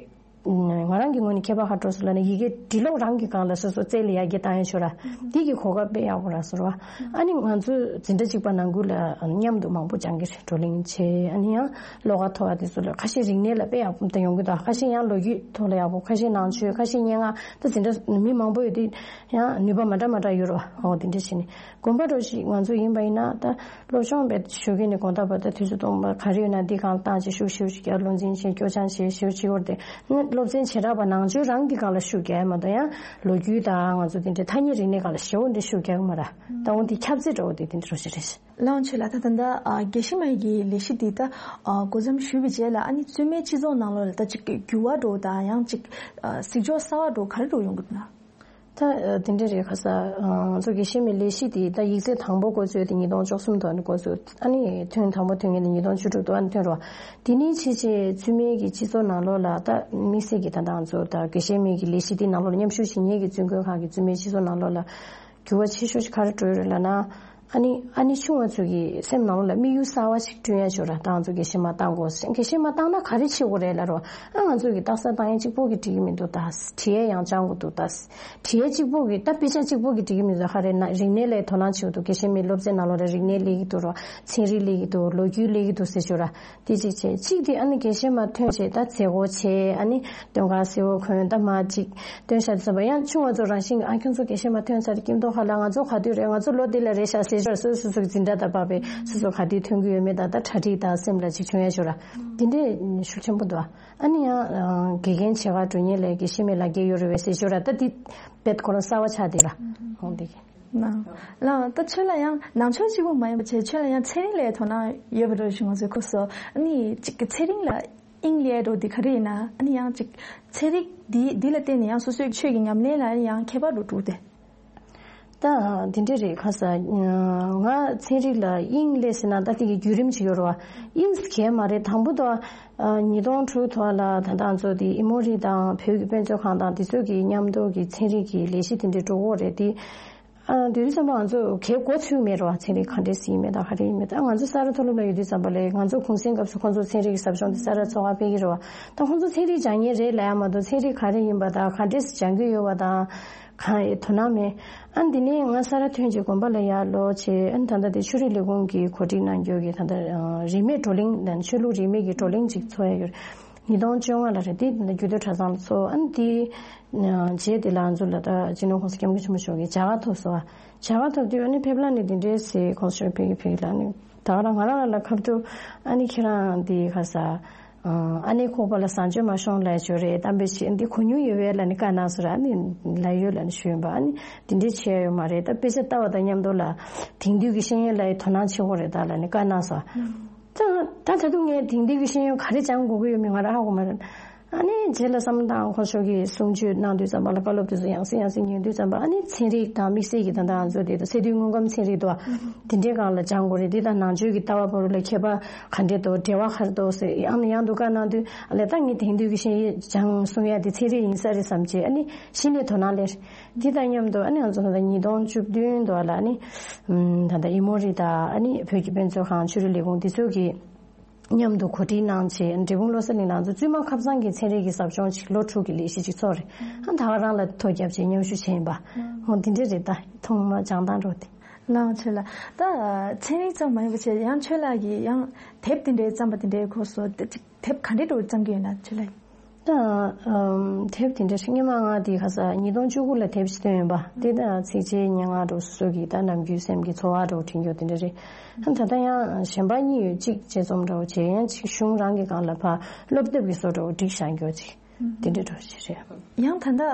ང་རང་གི་ངོས་ནས་ཁྱད་པར་ཧ་འགྲོ་སོང་ལབ་ན་ཡི་གེ་འབྲི་ཀློག་རང་གི་སྒང་ལ་སོ་སོ་རྩལ་ལ་ཡར་རྒྱས་བཏང་ཡ་ཤོར་ར། འདི་གི་གོ་སྐབས་དཔེ་ཡག་པོ་རག་སོང་ར། ཨ་ནི་ང་ཚོ་འཛིན་གྲྭ་གཅིག་པ་ནང་ཁུལ་ལ་མཉམ་དུ་མང་པོ་སྦྱང་གི་རེད། བགྲོ་གླེང་བྱས་ཨ་ནི་ཡང་བློ་ཁ་མཐོ་བ་དེ་ཚོ་ལ་ཁ་ཤས་རིག་གནས་ལ་དཔེ་ཡག་པོ་དེ་ཡོང་གི་འདུག་ཁ་ཤས་ཡང་ལོ་རྒྱུས་ཐོག་ལ་ཡག་པོ། ཁ་ཤས་ནང་ཆོས། ཁ་ཤས་སྙན་ངག་ད་འཛིན་གྲྭ་མི་མང་པོ་ཡོད་དུས་ཡང་ནུས་པ་མ་འདྲ་མ་འདྲ་ཡོད་ར། འོ་དེ་འདྲ་བྱས་ནས། དགོན་པ་འདྲ་ཞིག་ང་ཚོ་ཡིན་པ་ཡིན་ན་ད་སློབ་སྦྱོང་བྱེད་ཞུ་མཁན་ནི་དགོང་དག་བར་དུ་དུས་ཚོད་སྟོང་པ་ག་རེ་ཡོད་ན་འདི་སྒང་བཏང་བྱས་ཤུགས་ཞེ་པོ་ཅིག་རྒྱག་བློ་འཛིན་བྱས་སྐྱོར་སྦྱང་བྱས་ཞེ་པོ་ཅིག་བོར་ཏེ་ནི་སློབ་ཚན་བྱེ་བྲག་པ་ནང་ཆོས་རང་གི་སྒང་ལ་ཤུགས་རྒྱག་ཡ་མ་གཏོགས་ཡང་ལོ་རྒྱུས་དང་ང་ཚོ་དེ་འདྲའི་ཐ་སྙད་རིག་གནས་སྒང་ལ་ཞེ་པོ་འདྲ་ཤུགས་རྒྱག་གི་མ་རེད། ད་འོ་འདི་ཁྱབ་ཚད་འདྲ་བོ་དེ་དེ་འདྲ་རོ་ཞིག་རེད། ལགས་འོང་། ཆོས་ལགས། ད་ད་ལྟ་ཨ་དགེ་བཤེས་མ་གི་ལས་གཞི་འདི་ད་ཨ་འགོ་འཛམ་ཞུས་པའི་རྗེས་ལ་ཨ་ནི་བཙུན་མའི་སྤྱི་ཚོགས་ནང་ལོགས་ལ་ད་ཅིག་འགྱུར་བ་འདྲ་བོ་དང་ཡང་ཅིག་ཨ་གཟིགས་ཕྱོགས་གསར་བ་འདྲ་བོ་ག་རེ་འདྲ་བོ་ཡོང་གི་འདུག་ན། ད་དེ་འདྲ་རེད། ཁ་ས་ང་ཚོ་དགེ་བཤེས་མའི་ལས་གཞི་དེ་ད་ཡིག་ཚད་དང་པོ་འགོ་བཙུགས་དེ་ཉིས་སྟོང་བཅུ་གསུམ་ཐོག་ནས་འགོ་བཙུགས། ཨ་ནི་ཐོན་དང་པོ་ཐོན་མཁན་དེ་ཉིས་སྟོང་བཅུ་དྲུག་ཏུ་ཨ་ནི་ཐོན་རོགས། དེ་ནས་ཕྱིན་ཆད་བཙུན་མའི་གི་སྤྱི་ཚོགས་ནང་ལོགས་ལ་ད་དམིགས་བསལ་གྱི་ད་ལྟ་ང་ཚོ་ད་དགེ་བཤེས་མའི་གི་ལས་གཞི་དེ་ནང་ལོགས་ལ་མཉམ་ཞུགས་བྱེད་མཁན་གྱི་བཙུན་དགོན་ཁག་གི་བཙུན་མའི་སྤྱི་ཚོགས་ནང་ལོགས་ལ་འགྱུར་བ་ཆེ་ཤོས་ཤིག་ག་རེ་འགྲོ་ཡོད་རེད་ལབ་ན། ཨ་ནི་ཨ་ནི་ཆུང་བ་ཚོ་གི་སེམས་ནང་ལོགས་ལ་དམིགས་ཡུལ་གསར་བ་ཞིག་བསྐྲུན་ཡ་ཅིག་ཡོད་ར། ད་ང་ཚོ་དགེ་བཤེས་མ་བཏང་དགོས། དགེ་བཤེས་མ་བཏང་ན་ག་རེ་བྱེད་དགོས་རེད་ལབ་རོ། ཨ་ང་ཚོ་གི་རྟགས་གསལ་བཏང་ཡ་གཅིག་པོ་གི་འགྲིག་གི་མི་འདུག་ད་བྲིས་ཡ་ཡང་སྦྱང་དགོས་འདུག་ད་བྲིས་ཡ་གཅིག་པོ་གི་ད་དཔེ་ཆ་གཅིག་པོ་གི་འགྲིག་གི་མི་འདུག་ཧ་རེ་ན་རིག་གནས་ལ་དོ་སྣང་བྱེད་དགོས་འདུག་དགེ་བཤེས་མའི་སློབ་ཚན་ནང་ལོགས་ལ་རིག་གནས་སླེབས་ཀྱི་འདུག་རོ། ཚན་རིག་སླེབས་ཀྱི་འདུག་ལོ་རྒྱུས་སླེབས་ཀྱི་འདུག་ཟེར་ཅིག་ཡོད་ར། དེ་གཅིག་བྱས། གཅིག་དེ་ཨ་ནི་དགེ་བཤེས་མ་ཐོན་བྱས་ད་མཛད་སྒོ་བྱས། ཨ་ནི་སྟོན་ཁ་གསལ་བོ་གོན། ད་མ་གཅིག་སྟོན་ཤག་དེ་ཚོ་བ་ཡང་ཆུང་བ་ཚོ་རང་བཞིན་གྱི་ཨ་ཁྱོད་ཚོ་དགེ་བཤེས་མ་ཐོན་ཚར་དེ་སྐྱིད་མདོག་ཁ་ལ་ང་ཚོ་ག་དུས་རེད། ང་ཚོ་ལོ་འདི་ལ་རེད་ཤག་ཟེར་ཞོར་སོ་སོ་སོ་གི་འཛིན་གྲྭ་དང་བབས་པའི་སོ་སོ་ག་དུས་ཐོན་གི་ཡོད་མེད་དང་ད་གྲ་སྒྲིག་དང་སེམས་ལ་ཅིག་བྱུང་ཡ་ཞོར་ར། དེ་འདྲས་ཤུགས་ཆེན་པོ་འདུག་ཨ་ནི་ཡང་དགེ་རྒན་བྱེད་ག་འགྲོ་མཁན་ལ་དགེ་བཤེས་མའི་ལག་འཁྱེར་ཡོད་རེད་བས་ཟེར་ཞོར་ར། ད་དེ་བེད་ཁོ་རང་གསར་བ་ཆགས་དེ་ར། ཧོང་དེ་གི་ན། ལགས། ད་ཁྱོད་ལ་ཡང་ནང་ཆོས་གཅིག་པུ་མ་ཡིན་པ་བྱས་ཁྱོད་ལ་ཡང་ཚན་རིག་ལ་དོ་སྣང་ཡོད་པ་འདྲ་ཞིག་ང་ཚོས་གོ་སོང་། ཨ་ནི་གཅིག་གི་ཚན་རིག་ལ་དབྱིངས་སླེབས་འགྲོ་འདི་ག་རེ་ཡིན་ན། ཨ་ནི་ཡང་གཅིག་ཚན་རིག་འདི་འདི་ལ་བརྟེན་ནས་ཡང་སོ་སོའི་ཆོས་ཀྱི་ཉམས་ལེན་ལ་ཡང་ཁྱད་པར་འགྲོ་འགྲོ་སྟེ། ད་འདི་འདྲས་རེད། ཁ་ས་ང་ཚན་རིག་ལ་དབྱིངས་སླེབས་ཟེར་ན་ད་དེ་གི་བརྒྱུད་རིམ་ཅིག་ཡོད་རེད་བ། དབྱིངས་གས་མ་རེད། དང་པོ་ད་ཉིས་སྟོང་དྲུག་ཐོག་ལ་ད་ལྟ་ང་ཚོ་དེ་ཨི་མོ་རི་དང་བོད་ཀྱི་དཔེ་མཛོད་ཁང་དང་དེ་ཚོ་གི་མཉམ་དུ་གི་ཚན་རིག་གི་ལས་གཞི་དེ་འདྲས་འགྲོ་གི་ཡོད་རེད་དེ། ཨ་དེ་དུས་ཙམ་པ་ང་ཚོ་གའི་འགོ་ཚུགས་མེད་རེད་བ། ཚན་རིག་ག་འདྲས་ཡིན་མེད་དང་ག་རེ་ཡིན་མེད་དང་། ང་ཚོ་ས་ར་མཐོ་སློབ་ལ་ཡོད་དུས་ཙམ་པ་ལས་ང་ཚོ་གུང་སེང་སྐབས་སུ་ཁོང་ཚོ་ཚན་རིག་གི་ཟབ་སྦྱོང་དེ་ས་ར་ཚོགས་ཁག་སྤེལ་གི་རེད་བ། ད་ཁོང་ཚོ་ཚན་རིག་སྦྱང་མཁན་རེད་ལབ་ཡ་མ་གཏོགས་ཚན་རིག་ག་རེ་ཡིན་པ་དང་ག་འདྲས་སྦྱང་གི་ཡོད་པ་དང་གང་ཡང་དོ་སྣང་མེད། ཨ་འདི་ནས་ང་ས་ར་ཐོན་རྗེས་དགོན་པ་ལ་ཡར་ལོག་བྱས། ཨ་ད་ལྟ་དེ་ཆོས་རིག་ལས་ཁུངས་ཀྱིས་གོ་སྒྲིག་གནང་རྒྱུ་གི་ད་ལྟ་རིས་མེད་བགྲོ་གླེང་དང་ཆོས་ལུགས་རིས་མེད་ཀྱི་བགྲོ་གླེང་ཅིག་ཚོགས་ཡ་ཡོད། ཉིས་སྟོང་བཅོ་ལྔ་ལ་རེད། དེ་རྒྱུད་སྟོད་གྲྭ་ཚང་ལ་ཚོགས། ཨ་ནི་དེའི་རྗེས་དེ་ལ་ང་ཚོ་ལ་ད་སྤྱི་ནོར་༸གོང་ས་༸སྐྱབས་མགོན་ཆེན་པོ་མཆོག་གིས་མཇལ་ཁ་ཐོབ་སོང་བ། མཇལ་ཁ་ཐོབ་དུས་ཨ་ནི་ཕེབས་ལམ་ནས་དེ་འདྲའི་ཟེར། ༸གོང་ས་མཆོག་ཕེབས་ཀྱི་ཕེབས་ཀྱི་ལ་ནི་ད་ག་རང་ང་རང་ལ་ལ་ཁ་ཐུག་ཨ་ནི་ཁྱེད་རང་འདི་ག་ས་ཨ་ནི་ཁོག་པ་ལ་བཟང་སྤྱོད་མ་ཤོང་ལ་ཅོ་རེད། གཏམ་དཔེ་བྱེད་འདི་གོ་མྱོང་ཡོད་པས་ལ་ནི་བཀའ་གནང་སོང་ར། ཨ་ནི་ལ་ཡོད་ལ་ནི་ཞུས་པ། ཨ་ནི་དེ་འདྲའི་བྱས་ཡོད་མ་རེད། ད་དཔེ་ཆ་ལྟ་བ་དང་མཉམ་དུ་ལ་དེང་དུས་ཀྱི་ཤེས་ཡོན་ལ་དོ་སྣང་བྱེད་དགོས་རེད་ད་ལ་ནི་བཀའ་གནང་སོང་། ད་ད་ད་དུང་ངས་དེང་དུས་ཀྱི་ཤེས་ཡོན་ག་རེ་སྦྱང་དགོས་ཀྱི་ཡོད་མེད་ང་རང་ཧ་གོ་མ་རེད། ཨ་ནི་རྗེས་ལ་བསམ་བློ་བཏང་། ཁོང་ཚོ་གིས་གསུང་ཆོས་གནང་དུས་ཙམ་པ་ལ་བཀའ་སློབ་དེ་ཚོ་ཡང་སེ་ཡང་སེ་ཉན་དུས་ཙམ་པ། ཨ་ནི་ཚན་རིག་དང་དམིགས་བསལ་གྱི་ད་ལྟ་ང་ཚོ་དེ་ཚོ་སེ་འབྲུའི་དངོས་ཁམས་ཚན་རིག་དོ། དེ་འདྲའི་སྒང་ལ་སྦྱང་དགོས་རེད། དེ་དང་ནང་ཆོས་ཀྱི་ལྟ་བ་བར་ལ་ཁྱད་པར་ག་འདྲས་འདུག་འབྲེལ་བ་ག་རེ་འདུག་ཟེར་ཡང་ནས་ཡང་དུ་བཀའ་གནང་དུས། ཨ་ལས་ད་ངས་དེང་དུས་ཀྱི་ཤེས་ཡོན་སྦྱང་གསུང་ཡ་དེ་ཚན་རིག་ཡིན་ས་རེད་བསམ་བྱས། ཨ་ནི་གཞི་ནས་དོ་སྣང་སླེབས། འདི་དང་མཉམ་དུ་ཨ་ནི་ང་ཚོ་ད་ལྟ་ཉིས་སྟོང་བཅུ་བདུན་དུ་ལ་ནི་ད་ལྟ་ཨི་མོ་རི་དང་ཨ་ནི་བོད་ཀྱི་དཔེ་མཛོད་ཁང་ཆོས་རིག་ལས་ཁུངས་འདི་ཚོ་གིས་མཉམ་དུ་གོ་སྒྲིག་གནང་བྱས། འབྲས་སྤུངས་བློ་གསལ་གླིང་ལ་ང་ཚོ་བཙུན་མ་ཁ་སང་གི་ཚན་རིག་གི་ཟབ་སྦྱོང་ཅིག་ལོ་དྲུག་གི་ལས་གཞི་ཅིག་ཚོགས་རེད། ཨ་ད་ག་རང་ལ་ཐོ་བརྒྱབ་བྱས་མཉམ་ཞུགས་བྱས་ཡིན་པ། འོ་འདི་འདྲ་རེད། ད་ཐོག་མ་སྦྱང་སྟངས་འགྲོ་དེ། ལགས་ཆེ་ལགས། ད་ཚན་རིག་ཙམ་མ་ཡིན་པ་བྱས་ཡང་ཆོས་ལགས་ཀྱིས་ཡང་དེབ་དེ་འདྲའི་བརྩམས་པ་དེ་འདྲའི་སྐོར་སོགས་དེབ་ག་འདྲའི་འགྲོ་བརྩམས་ཀྱི་ཡོད་ན་ཆོས་ལགས། ད་ཨམ་དེབ་དེ་འདྲ་ཞིག་སྔོན་མ་ང་དེ་ག་ས་ཉིས་སྟོང་བཅུ་དགུ་ལ་དེབ་ཞིག་བཏོན་ཡོད་པ། དེ་ད་ཚིགས་བཅད་སྙན་ངག་འདྲ་སོ་སོ་གི་ད་ནམ་རྒྱུན་སེམས་ཀྱི་ཚོར་བ་འདྲ་བྲིས་རྒྱུ་དེ་འདྲ་རེད། ད་ད་ཡང་གཞན་པ་གཉིས་ཡོད། གཅིག་དཔྱད་རྩོམ་འདྲ་བོ་བྱས། ཡང་གཅིག་གཞུང་རང་གི་སྒང་ལ་ཕར་སློབ་དེབ་ཀྱི་བཟོ་འདྲ་བོ་སྒྲིག་བཞག་རྒྱུ་ཅིག་དེ་འདྲ་འདྲ་བོ་ཞིག་རེད། ཡང་ད་ད་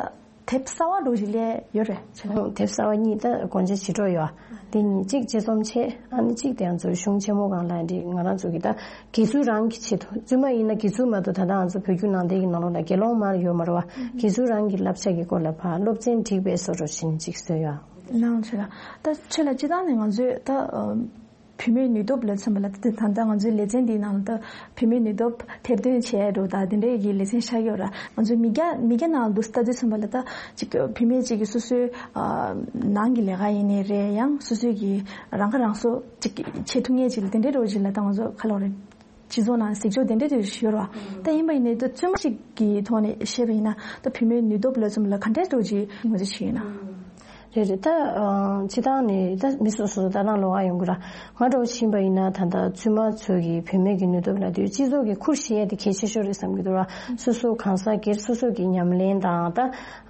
དེབ་གསར་བ་འདྲ་བོ་ཞིག་སླེབས་ཡོད་རེད་ཆེ་ལགས། དེབ་གསར་བ་གཉིས་ད་དགོངས་འཆར་ཇི་འདྲ་ཡོད། དེ་གཉིས་གཅིག་དཔྱད་རྩོམ་བྱས། ཨ་ནི་གཅིག་དེ་ང་ཚོའི་གཞུང་ཆེན་མོ་སྒང་ལ་འདི་ང་རང་ཚོ་གི་ད་དགེ་ཚུལ་རང་གི་ཆེད་དུ། བཙུན་མ་ཡིན་ན་དགེ་ཚུལ་མ་གཏོགས་ད་ལྟ་ང་ཚོ་བོད་བརྒྱུད་ནང་བསྟན་གྱི་ནང་ལོགས་ལ་དགེ་སློང་མ་ཡོད་མ་རེད་བ། དགེ་ཚུལ་རང་གི་བསླབ་བྱ་གི་སྐོར་ལ་ཕར་སློབ་ཚན་བསྒྲིགས་པའི་བཟོ་འདྲ་ཞིག་གཅིག་བཟོས་ཡོད། ལགས་ཆེ་ལགས། ད་ཆེ་ལགས་སྤྱིར་བཏང་ནས་ང་ཚོས་ད་ཨ་བུད་མེད་ནུས་སྟོབས་ལ་མཚོན་པ་ལ་ད་ད་ལྟ་ང་ཚོའི་ལེ་ཚན་འདིའི་ནང་ལ་ད་བུད་མེད་ནུས་སྟོབས་ཐེར་འདོན་བྱས་འགྲོ་ད་དེ་འདྲའི་གི་ལེ་ཚན་ཤར་ཡོད་ར། ང་ཚོའི་མི་སྐྱ་མི་སྐྱ་ནང་ལ་འདུག་ལྟ་དུས་ཙམ་པ་ལ་ད་ཅིག་བུད་མེད་ཅིག་གིས་སོ་སོའི་ཨ་ནང་གི་ལས་ཀ་ཡིན་ནའི་རེད། ཡང་སོ་སོའི་གི་རང་ཁ་རང་གསོ་ཅིག་བྱེད་ཐུབ་མཁན་ཅིག་ལ་དེ་འདྲའི་རོགས་ཅིག་ལ་ད་ང་ཚོ་ག་ལབ་རེད། སྤྱི་ཚོགས་ནང་གཟིགས་ཕྱོགས་དེ་འདྲ་དེ་ཡོད་རེད་བ། ད་ཡིན་པ་ཡིན་ནའི་ད་བཙུན་མ་ཞིག་གི་ཐོག་ནས་བཤད་པ་ཡིན་ན་ད་བུད་མེད་ནུས་སྟོབས་ལ་མཚོན་པ་ལ་ག་འདྲའི་འགྲོ་ཅིག་ངོས་འཛིན་བྱེད་ཡོད་ན། རེད་རེད། ད་ཨ་སྤྱིར་བཏང་ནས་ད་མི་སོ་སོ་ད་རང་ལོགས་ཀ་ཡོང་གི་ར། ང་འདྲ་བོ་ཕྱིན་པ་ཡིན་ན་ད་ལྟ་བཙུན་མ་ཚོ་གི་བུད་མེད་ཀྱི་ནུས་སྟོབས་ལ་དུས་སྤྱི་ཚོགས་ཀྱི་ཁུར་བཞེས་ཡ་དེ་གལ་ཆེ་ཤོས་རེད་བསམ་གྱི་འདུག་ར། སོ་སོ་གང་ཟག་སྒེར་སོ་སོ་གི་ཉམས་ལེན་དང་ད་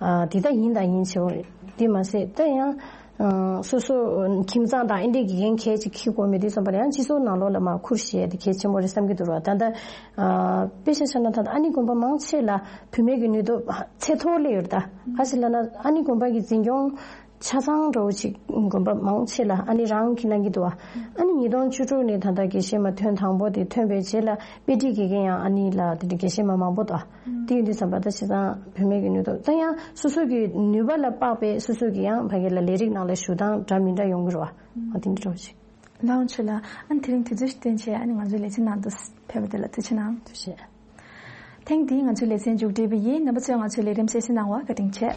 ཨ་དེ་ད་ཡིན་དང་ཡིན་ཆེ་བོ་རེད། དེ་མ་ཟད་ད་ཡང་། ཨ་སོ་སོ་ཁྱིམ་ཚང་དང་ཨེ་འདྲས་དགེ་རྒན་གལ་ཆེ་ཁྱི་དགོས་མེད་དུས་ཙམ་པར་ཡང་སྤྱི་ཚོགས་ནང་ལོགས་ལ་མར་ཁུར་བཞེས་ཡ་དེ་གལ་ཆེན་པོ་རེད་བསམ་གྱི་འདུག་ར། ད་ལྟ་ཨ་དཔེ་ཆ་བཞག་ན་ད་ལྟ་ཨ་ནི་དགོན་པ་མང་ཆེ་ལ་བུད་མེད་ཀྱི་ནུས་སྟོབས་ཚད་མཐོ་སླེབས་ཡོད་རེད། ད་ག་ཞིག་ལབ་ན་ཨ་ནི་དགོན་པ་གི་འཛིན་སྐྱོང་ཆ་ཚང་འདྲ་བོ་ཅིག་དགོན་པ་མང་ཆེ་ལ་ཨ་ནི་རང་གིས་གནང་གི་འདུག་བ། ཨ་ནི་ཉིས་སྟོང་བཅུ་དྲུག་ནས་ད་ལྟ་དགེ་བཤེས་མ་ཐོན་དང་པོ་དེ་ཐོན་པའི་རྗེས་ལ་དཔེ་ཁྲིད་དགེ་རྒན་ཡང་ཨ་ནི་ལ་དེ་འདྲ་དགེ་བཤེས་མ་མང་པོ་འདུག་དེ་ཡིན་དུས་ཙམ་པ་ད་བྱས་ཙང་བུད་མེད་ཀྱི་ནུས་སྟོབས་ད་ཡང་སོ་སོ་གི་ནུས་པ་ལ་དཔག་པའི་སོ་སོ་གི་ཡང་ཕ་གི་ལ་ལས་རིགས་ནང་ལ་ཞུགས་སྟངས་འདྲ་མི་འདྲ་ཡོང་གི་རེད་བ། ཨ་དེ་འདྲ་འདྲ་བོ་ཞིག་ལགས་འོང་ཆོས་ལགས། ཨ་ནི་དེ་རིང་དུས་ཚོད་ཞིག་བཏོན་བྱས་ཨ་ནི་ང་ཚོའི་ལེ་ཚན་ནང་དུ་ཕེབས་པ་དེ་ལ་ཐུགས་རྗེ་གནང་། ཐུགས་རྗེ་ཆེ། ཐེངས་འདིའི་ང་ཚོའི་ལེ་ཚན་མཇུག་སྒྲིལ་བ་ཡིན། རྣམ་པ་ཚོས་ང་ཚོའི་ལས་རིམ་གསན་གཟིགས་གནང་བར་བཀའ་དྲིན་ཆེ།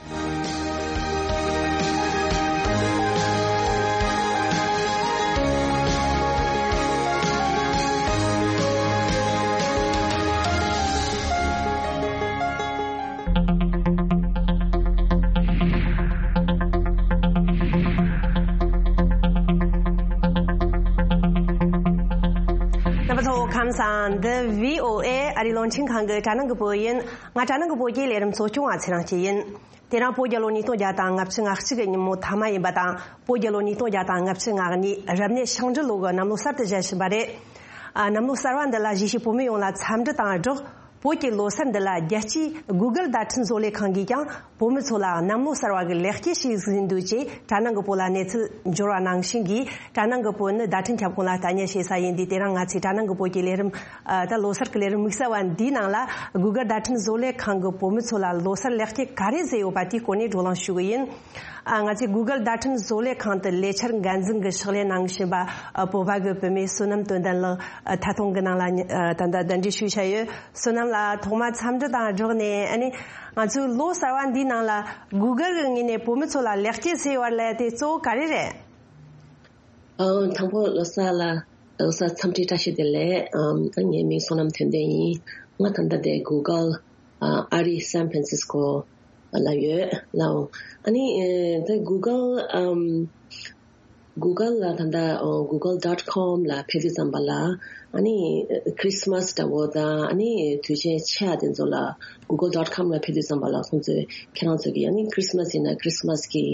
རྣམ་པ་ཚོ་ཁམས་བཟང་། འདི་བྷི་ཨོ་ཨེ་ཨ་རིའི་རླུང་འཕྲིན་ཁང་གི་གྲ་ནང་གི་བོད་ཡིན། ང་གྲ་ནང་གི་བོད་ཀྱི་ལས་རིམ་གཙོ་སྐྱོང་བ་ཚེ་རིང་སྐྱིད་ཡིན། དེ་རིང་བོད་རྒྱལ་ལོ་ཉིས་སྟོང་བརྒྱ་དང་ལྔ་བཅུ་ང་གཅིག་གི་ཉིན་མོ་མཐའ་མ་ཡིན་པ་དང་། བོད་རྒྱལ་ལོ་ཉིས་སྟོང་བརྒྱ་དང་ལྔ་བཅུ་ང་གཉིས་རབ་གནས་ཤིང་འབྲུ་ལོ་གི་གནམ་ལོ་གསར་དུ་བཞད་བཞིན་པ་རེད། ཨ། གནམ་ལོ་གསར་བ་འདི་ལ་གཞིས་བྱེས་བོད་མི་ཡོངས་ལ་འཚམས་འདྲི་དང་སྦྲགས། བོད་ཀྱི་ལོ་སར་འདི་ལ་རྒྱལ་སྤྱིའི་Google་བརྡ་འཕྲིན་བཟོ་ལས་ཁང་གིས་ཀྱང་བོད་མི་ཚོ་ལ་གནམ་ལོ་གསར་བ་གི་ལེགས་སྐྱེས་ཤིག་ཟིན་འདུག་ཅེས་གྲ་ནང་གི་བོད་ལ་གནས་ཚུལ་འབྱོར་བ་ནང་བཞིན་གྱིས། གྲ་ནང་གི་བོད་ནི་བརྡ་འཕྲིན་ཁྱབ་ཁོངས་ལ་ལྟ་ཉན་བྱེད་ས་ཡིན་དུས། དེ་རིང་ང་ཚོས་གྲ་ནང་གི་བོད་ཀྱི་ལས་རིམ། ཨ། ད་ལོ་སར་གྱི་ལས་རིམ་དམིགས་བསལ་བ་འདིའི་ནང་ལ་Google་བརྡ་འཕྲིན་བཟོ་ལས་ཁང་གིས་བོད་མི་ཚོ་ལ་ལོ་སར་ལེགས་སྐྱེས་ག་རེ་བཟོས་ཡོད་པ་དེའི་སྐོར་ནས་བགྲོ་གླེང་ཞུ་གི་ཡིན། ཨ། ང་ཚོས་Google་བརྡ་འཕྲིན་བཟོ་ལས་ཁང་དུ་ལས་འཆར་འགན་འཛིན་གྱི་ཕྱག་ལས་གནང་བཞིན་པ། ཨ། བོད་པ་གི་བུད་མེད་བསོད་ནམས་དོན་ལྡན་ལགས། ཨ། ཐད་གཏོང་གི་ནང་ལ་ད་ལྟ་གདན་འདྲེན་ཞུས་བཞག་ཡོད། བསོད་ནམས་ལགས། ཐོག་མར་འཚམས་འདྲི་དང་སྦྲགས་ནས། ཨ་ནི་ང་ཚོའི་ལོ་གསར་བ་འདིའི་ནང་ལ་Google་གི་ངོས་ནས་བོད་མི་ཚོ་ལ་ལེགས་སྐྱེས་ཟེར་བ་ལ་དེ་གཙོ་བོ་ག་རེ་རེད། ཨ། དང་པོ་ལོ་གསར་ལ་ལོ་གསར་འཚམས་འདྲི་བཀྲ་ཤིས་བདེ་ལེགས། ཨམ། ད་ངའི་མིང་བསོད་ནམས་དོན་ལྡན་ཡིན། ང་ད་ལྟ་དེ་Google་ཨ། ཨ་རི་San Francisco་ལ་ཡོད་ལགས་འོང་། ཨ་ནི་ཨ། ད་Google་ཨམ། Google ལ་ད་ལྟ་ཨོ་google dot com ལ་ཕེབས་དུས་ཙམ་པ་ལ་ཨ་ནི་Christmas འདྲ་བོ་དང་ཨ་ནི་དུས་ཆེན་ཆེ་བ་དེ་ཚོ་ལ་google dot com ལ་ཕེབས་དུས་ཙམ་པ་ལ་ཁོང་ཚོས་ཁྱེད་རང་ཚོ་གི་ཨ་ནི་Christmas ཡིན་ན་Christmas གི་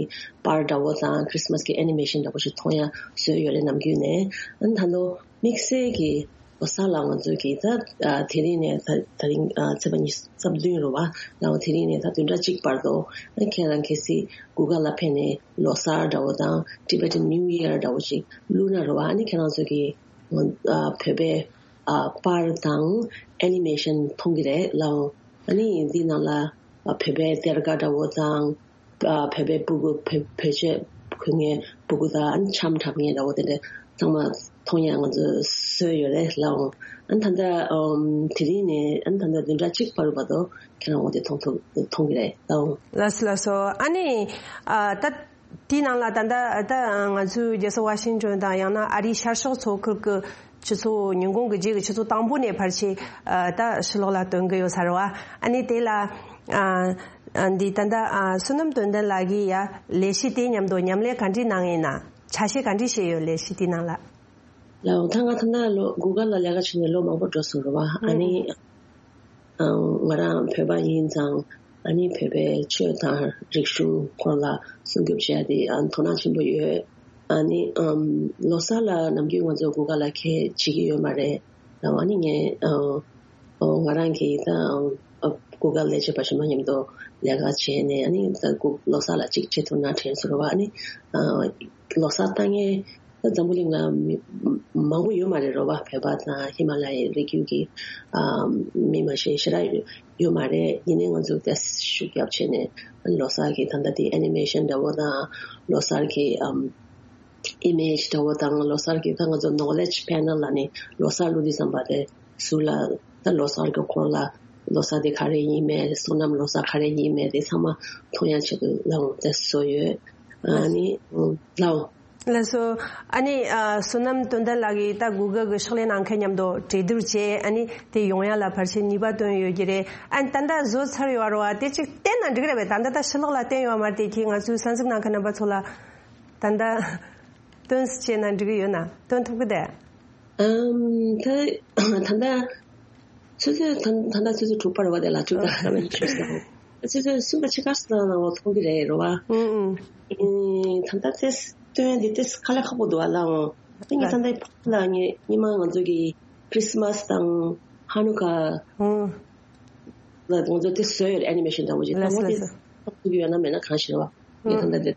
པར་འདྲ་བོ་དང་Christmas གི་animation འདྲ་བོ་ཞིག་མཐོང་ཡ་བཟོས་ཡོད་རེད། ནམ་རྒྱུན་ནས་ཨ་ནི་ད་ལོ་དམིགས་བསལ་གྱི་ལོ་གསར་ལ་ང་ཚོས་ཀྱི་ད་ཨ་དེ་རིང་ནས་ད་ད་རིང་ཨ་ཚེས་པ་ཉི་ཤུ་རྩ་བདུན་རེད་བ། ལའོ་དེ་རིང་ནས་ད་བདུན་ཕྲག་གཅིག་བར་དུ་ཨ་ཁྱེད་རང་གལ་སྲིད་Google ལ་ཕེབས་ནས་ལོ་གསར་འདྲ་བོ་དང་Tibetan New Year འདྲ་བོ་ཞིག་བླུགས་ན་རེད་བ། ཨ་ནི་ཁྱེད་རང་ཚོ་གི་ཨ་བོད་པའི་ཨ་པར་དང་animation མཐོང་གི་རེད་ལའོ། ཨ་ནི་འདི་ནང་ལ་ཨ་བོད་པའི་གཏེར་ཁ་འདྲ་བོ་དང་། ཨ་བོད་པའི་སྤུ་གུ་བོད་བོད་ཆས་གོན་མཁན་སྤུ་གུ་དང་ཨ་ནི་འཆམ་འཁྲབ་མཁན་འདྲ་བོ་དེ་འདྲ་ཚང་མ་མཐོང་ཡ་ང་ཚོས་བཟོས་ཡོད་རེད་ལའོ། ཨ་ནི་ད་ལྟ་ཨམ་དེ་རིང་ནས་ཨ་ནི་ད་ལྟ་བདུན་ཕྲག་གཅིག་བར་བར་དུ་ཁྱེད་རང་འོ་དེ་མཐོང་ཐུབ་མཐོང་གི་རེད་ལའོ། ལགས་སོ་ལགས་སོ། ཨ་ནི་ཨ་ད་དེའི་ནང་ལ་ད་ལྟ་ད་ང་ཚོའི་རྒྱལ་ས་ཝ་ཤིང་ཏོན་དང་ཡང་ན་ཨ་རིའི་ཤར་ཕྱོགས་མཚོ་ཁུལ་གྱི་ཆུ་ཚོད་ཉིན་གུང་གི་རྗེས་ཀྱི་ཆུ་ཚོད་དང་པོ་ནས་ཕལ་ཆེར་ཨ་ད་ཕྱི་ལོགས་ལ་ཐོན་གི་ཡོད་ས་རེད་བ། ཨ་ནི་དེ་ལ་ཨ་ཨ་འདི་ད་ལྟ་ཨ་བསོད་ནམས་དོན་ལྡན་ལགས་ཀྱིས་ཡ་ལས་གཞི་དེ་མཉམ་དུ་མཉམ་ལས་ག་འདྲས་གནང་ཡིན་ན། ཆ་ཤས་ག་འདྲས་བྱས་ཡོད་ལས་གཞི་དེའི་ནང་ལ། ལའོ་ད་ང་ད་ལྟ་ལོ་Google ལ་ལས་ཀ་བྱས་ནས་ལོ་མང་པོ་འགྲོ་སོང་རེད་བ། ཨ་ནི་ཨ་ང་རང་བོད་པ་ཡིན་ཙང་ཨ་ནི་བོད་པའི་ཆོས་དང་རིག་གཞུང་སྐོར་ལ་སྲུང་སྐྱོབ་བྱས་ཏེ་ཨ་དོ་སྣང་ཆེན་པོ་ཡོད། ཨ་ནི་ཨམ་ལོ་གསར་ལ་ནམ་རྒྱུན་ང་ཚོ་Google ལ་ཁྱད་བྱེད་ཀྱི་ཡོད་མ་རེད། ཨ་ནི་ངས་ཨ་ཨོ་ང་རང་གིས་ད་ཨ་Google ལས་བྱེད་པ་གཞན་པ་མཉམ་དུ་ལས་ཀ་བྱས་ནས་ཨ་ནི་ད་Google ལོ་གསར་ལ་གཅིག་བྱེད་ཐུབ་ན་དྲན་སོང་རེད་བ། ཨ་ནི་ཨ་ལོ་གསར་བཏང་མཁན་ད་འཛམ་བུ་གླིང་ལ་མི་མང་པོ་ཡོད་མ་རེད་རེད་བ། བོད་པ་དང་ཧི་མ་ལ་ཡའི་རི་རྒྱུད་ཀྱི་ཨ་མི་མ་གཞི་ཞེ་དྲག་ཡོད་མ་རེད། ཡིན་ནའི་ང་ཚོ་ཏོག་ཙམ་ཤུགས་རྒྱབ་བྱས་ནས་ལོ་གསར་གྱི་ད་ལྟ་དེ་animation འདྲ་བོ་དང་ལོ་གསར་གྱི་ཨམ་image འདྲ་བོ་དང་ལོ་གསར་གྱི་ད་ང་ཚོ་knowledge panel ལ་ནི་ལོ་གསར་བླུགས་དུས་ཙམ་པ་དེ་ཟུར་ལ་ད་ལོ་གསར་གྱི་སྐོར་ལ་ལོ་གསར་དེ་ག་རེ་ཡིན་མིན། བསོད་ནམས་ལོ་གསར་ག་རེ་ཡིན་མིན་དེ་ཚང་མ་མཐོང་ཡ་ཆེད་དུ་ལའོ་དེ་བཟོས་ཡོད། ཨ་ནི་ལའོ། ལགས་སོ། ཨ་ནི་ཨ་བསོད་ནམས་དོན་ལྡན་ལགས་ཀྱིས་ད་Google གི་ཕྱག་ལས་གནང་མཁན་མཉམ་དུ་གྲོས་བསྡུར་བྱས། ཨ་ནི་དེ་ཡོང་ཡ་ལ་ཕལ་ཆེར་ནུས་པ་བཏོན་ཡོད་ཀྱི་རེད། ཨ་ནི་ད་ལྟ་བཟོ་ཚར་ཡོད་རེད་བ། དེ་ཅིག་བསྟན་ན་འགྲིག་རེད་པས། ད་ལྟ་ད་ཕྱི་ལོགས་ལ་བསྟན་ཡོད་མ་རེད། དེ་ཁྱེད་ང་ཚོའི་གསན་གཟིགས་གནང་མཁན་རྣམ་པ་ཚོ་ལ་ད་ལྟ་སྟོན་བྱས་ན་འགྲིག་གི་ཡོད་ན། སྟོན་ཐུབ་ཀྱི་རེད། ཨམ་ད་ད་ལྟ་ཆུ་ཚོད་ད་ད་ལྟ་ཆུ་ཚོད་དྲུག་པ་རེད་བ། དེ་ལ་དྲུག་དང་ཨ་ཉི་ཤུ་ཟེར། ཆུ་ཚོད་གསུམ་པ་ཕྱེད་ཀ་ཙམ་ནང་ལ་མཐོང་གི་རེད་རེད་བ། ཨུ་ཨུ། ཨེ་ད་ལྟ་དེ་སྟོན་ཡ་འདི་ཏོག་ཙམ་དཀའ་ལས་ཁག་པོ་འདུག་བ་ལའོ། ཨ་ནི་ད་ལྟ་ཕ་ལ་ངས་སྔོན་མ་ང་ཚོ་གི་Christmas དང་Hanukkah ཨུ། ལ་ང་ཚོ་དེ་བཟོས་ཡོད་རེད། animation འདྲ་བོ་ཅིག་ད་ལགས་སོ་ངོ་དེ་ལགས་སོ། ཐུབ་ཀྱི་ཡོད་ན་མེད་ན་གང་ཤེས་རེད་བ། ངས་ད་ལྟ་དེ་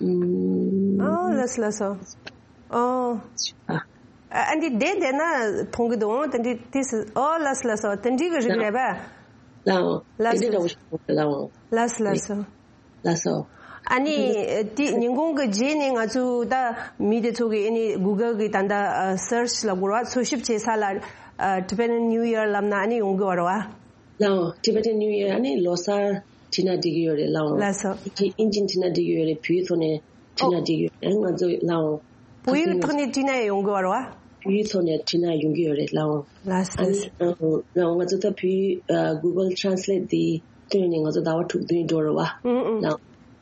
ཨུམ། ཨོ་ལགས་སོ་ལགས་སོ། ཨོ། ཨ་ཨ་འདི་བསྡད་བསྡད་ན་མཐོང་གི་འདུག་ཨོ་དེ་འདྲའི་དེ་སི་ཨོ་ལགས་སོ་ལགས་སོ། དེ་འདྲའི་གི་རིགས་རེད་པས། ལའོ། ལགས་དེ་འདྲའི་འདྲ་བོ་ཞིག་མཐོང་གི་ལའོ། ལགས་སོ་ལགས་སོ། ལགས་སོ། ཨ་ནི་དེ་ཉིན་གུང་གི་རྗེས་ནས་ང་ཚོ་ད་མི་དེ་ཚོ་གི་ཨ་ནི་Google གི་ད་ལྟ་search ལ་གོ་བ་འཚོལ་ཞིབ་བྱེད་ས་ལ་Tibetan New Year ལབ་ན་ཨ་ནི་ཡོང་གི་བ་རེད་བ། ལའོ། Tibetan New Year ཨ་ནི་ལོ་གསར་བྲིས་ན་འགྲིག་གི་ཡོད་རེད་ལའོ། ལགས་སོ། ཨིན་ཇིན་བྲིས་ན་འགྲིག་གི་ཡོད་རེད། བོད་ཐོག་ནས་བྲིས་ན་འགྲིག་གི་ཡོད་རེད་ང་ཚོ་ལའོ། བོད་ཡིག་ཐོག་ནས་བྲིས་ན་ཡོང་གི་བ་རེད་བ། བོད་ཡིག་ཐོག་ནས་བྲིས་ན་ཡོང་གི་ཡོད་རེད་ལའོ། ལགས་སོ། ཨ་ནི་ལའོ་ང་ཚོ་ད་བོད་ཡིག་Google Translate འདི་བཏོན་ནས་ང་ཚོ་ཟླ་བ་དྲུག་བདུན་འགྲོ་རེད་བ། ཨུ་ཨུ། ལའོ།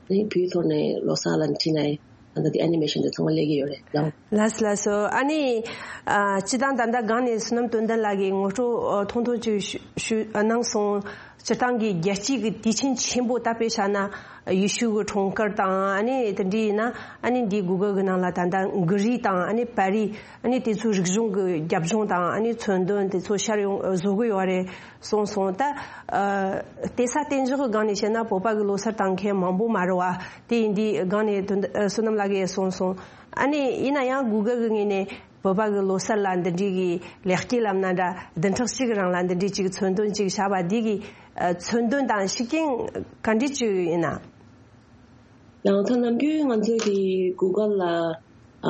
ཨ་ནི་བོད་ཐོག་ནས་ལོ་གསར་ལ་བྲིས་ན་ཡང་ད་ལྟ་དེ་animation དེ་ཚང་མ་སླེབས་ཀྱི་ཡོད་རེད་ལའོ། ལགས་སོ་ལགས་སོ། ཨ་ནི་ཨ་སྤྱི་བཏང་ད་ལྟ་སྒང་ནས་བསོད་ནམས་དོན་ལྡན་ལགས་ཀྱིས་ངོ་སྤྲོད་ཨ་ཐུང་ཐུང་ཅིག་ཞུ་ཞུ་ཨ་གནང་སོང་། སྤྱིར་བཏང་གི་རྒྱལ་སྤྱིའི་གི་དུས་ཆེན་ཆེན་པོ་ད་དཔེ་བཞག་ན་ཡེ་ཤུ་གི་འཁྲུངས་སྐར་དང་ཨ་ནི་དེ་འདྲ་ཡིན་ན་ཨ་ནི་འདི་Google གི་ནང་ལ་ད་ལྟ་གྷི་རིག་དང་ཨ་ནི་པར་རིས་ཨ་ནི་དེ་ཚོའི་རིག་གཞུང་གི་རྒྱབ་ལྗོངས་དང་ཨ་ནི་མཚོན་དོན་དེ་ཚོ་ཤར་ཡོང་བཟོ་གི་ཡོད་རེད། སོང་སོང་ད། ཨ་དེ་ས་བརྟན་འཇགས་ཀྱི་སྒང་ནས་བཤད་ན་བོད་པ་གི་ལོ་གསར་བཏང་མཁན་མང་པོ་མ་རེད་བ། དེ་ཡིན་དུས་སྒང་ནས་དོན་ཨ་བསོད་ནམས་ལགས་ཀྱིས་གསུངས་སོང་། ཨ་ནི་ཡིན་ན་ཡང་Google གི་ངོས་ནས་བོད་པ་གི་ལོ་གསར་ལ་འདི་འདྲའི་གི་ལེགས་སྐྱེས་ལབ་ན་འདྲ་བདུན་ཕྲག་གཅིག་གི་རིང་ལ་འདི་འདྲའི་ཅིག་མཚོན་དོན་ཅིག་བཞག་པ་འདི་གི་ཨ་མཚོན་དོན་དང་ཤུགས་རྐྱེན་ག་འདྲ་ཅིག་ཡིན་ན། ཡང་ད་ནམ་རྒྱུན་ང་ཚོ་གི་Google ལ་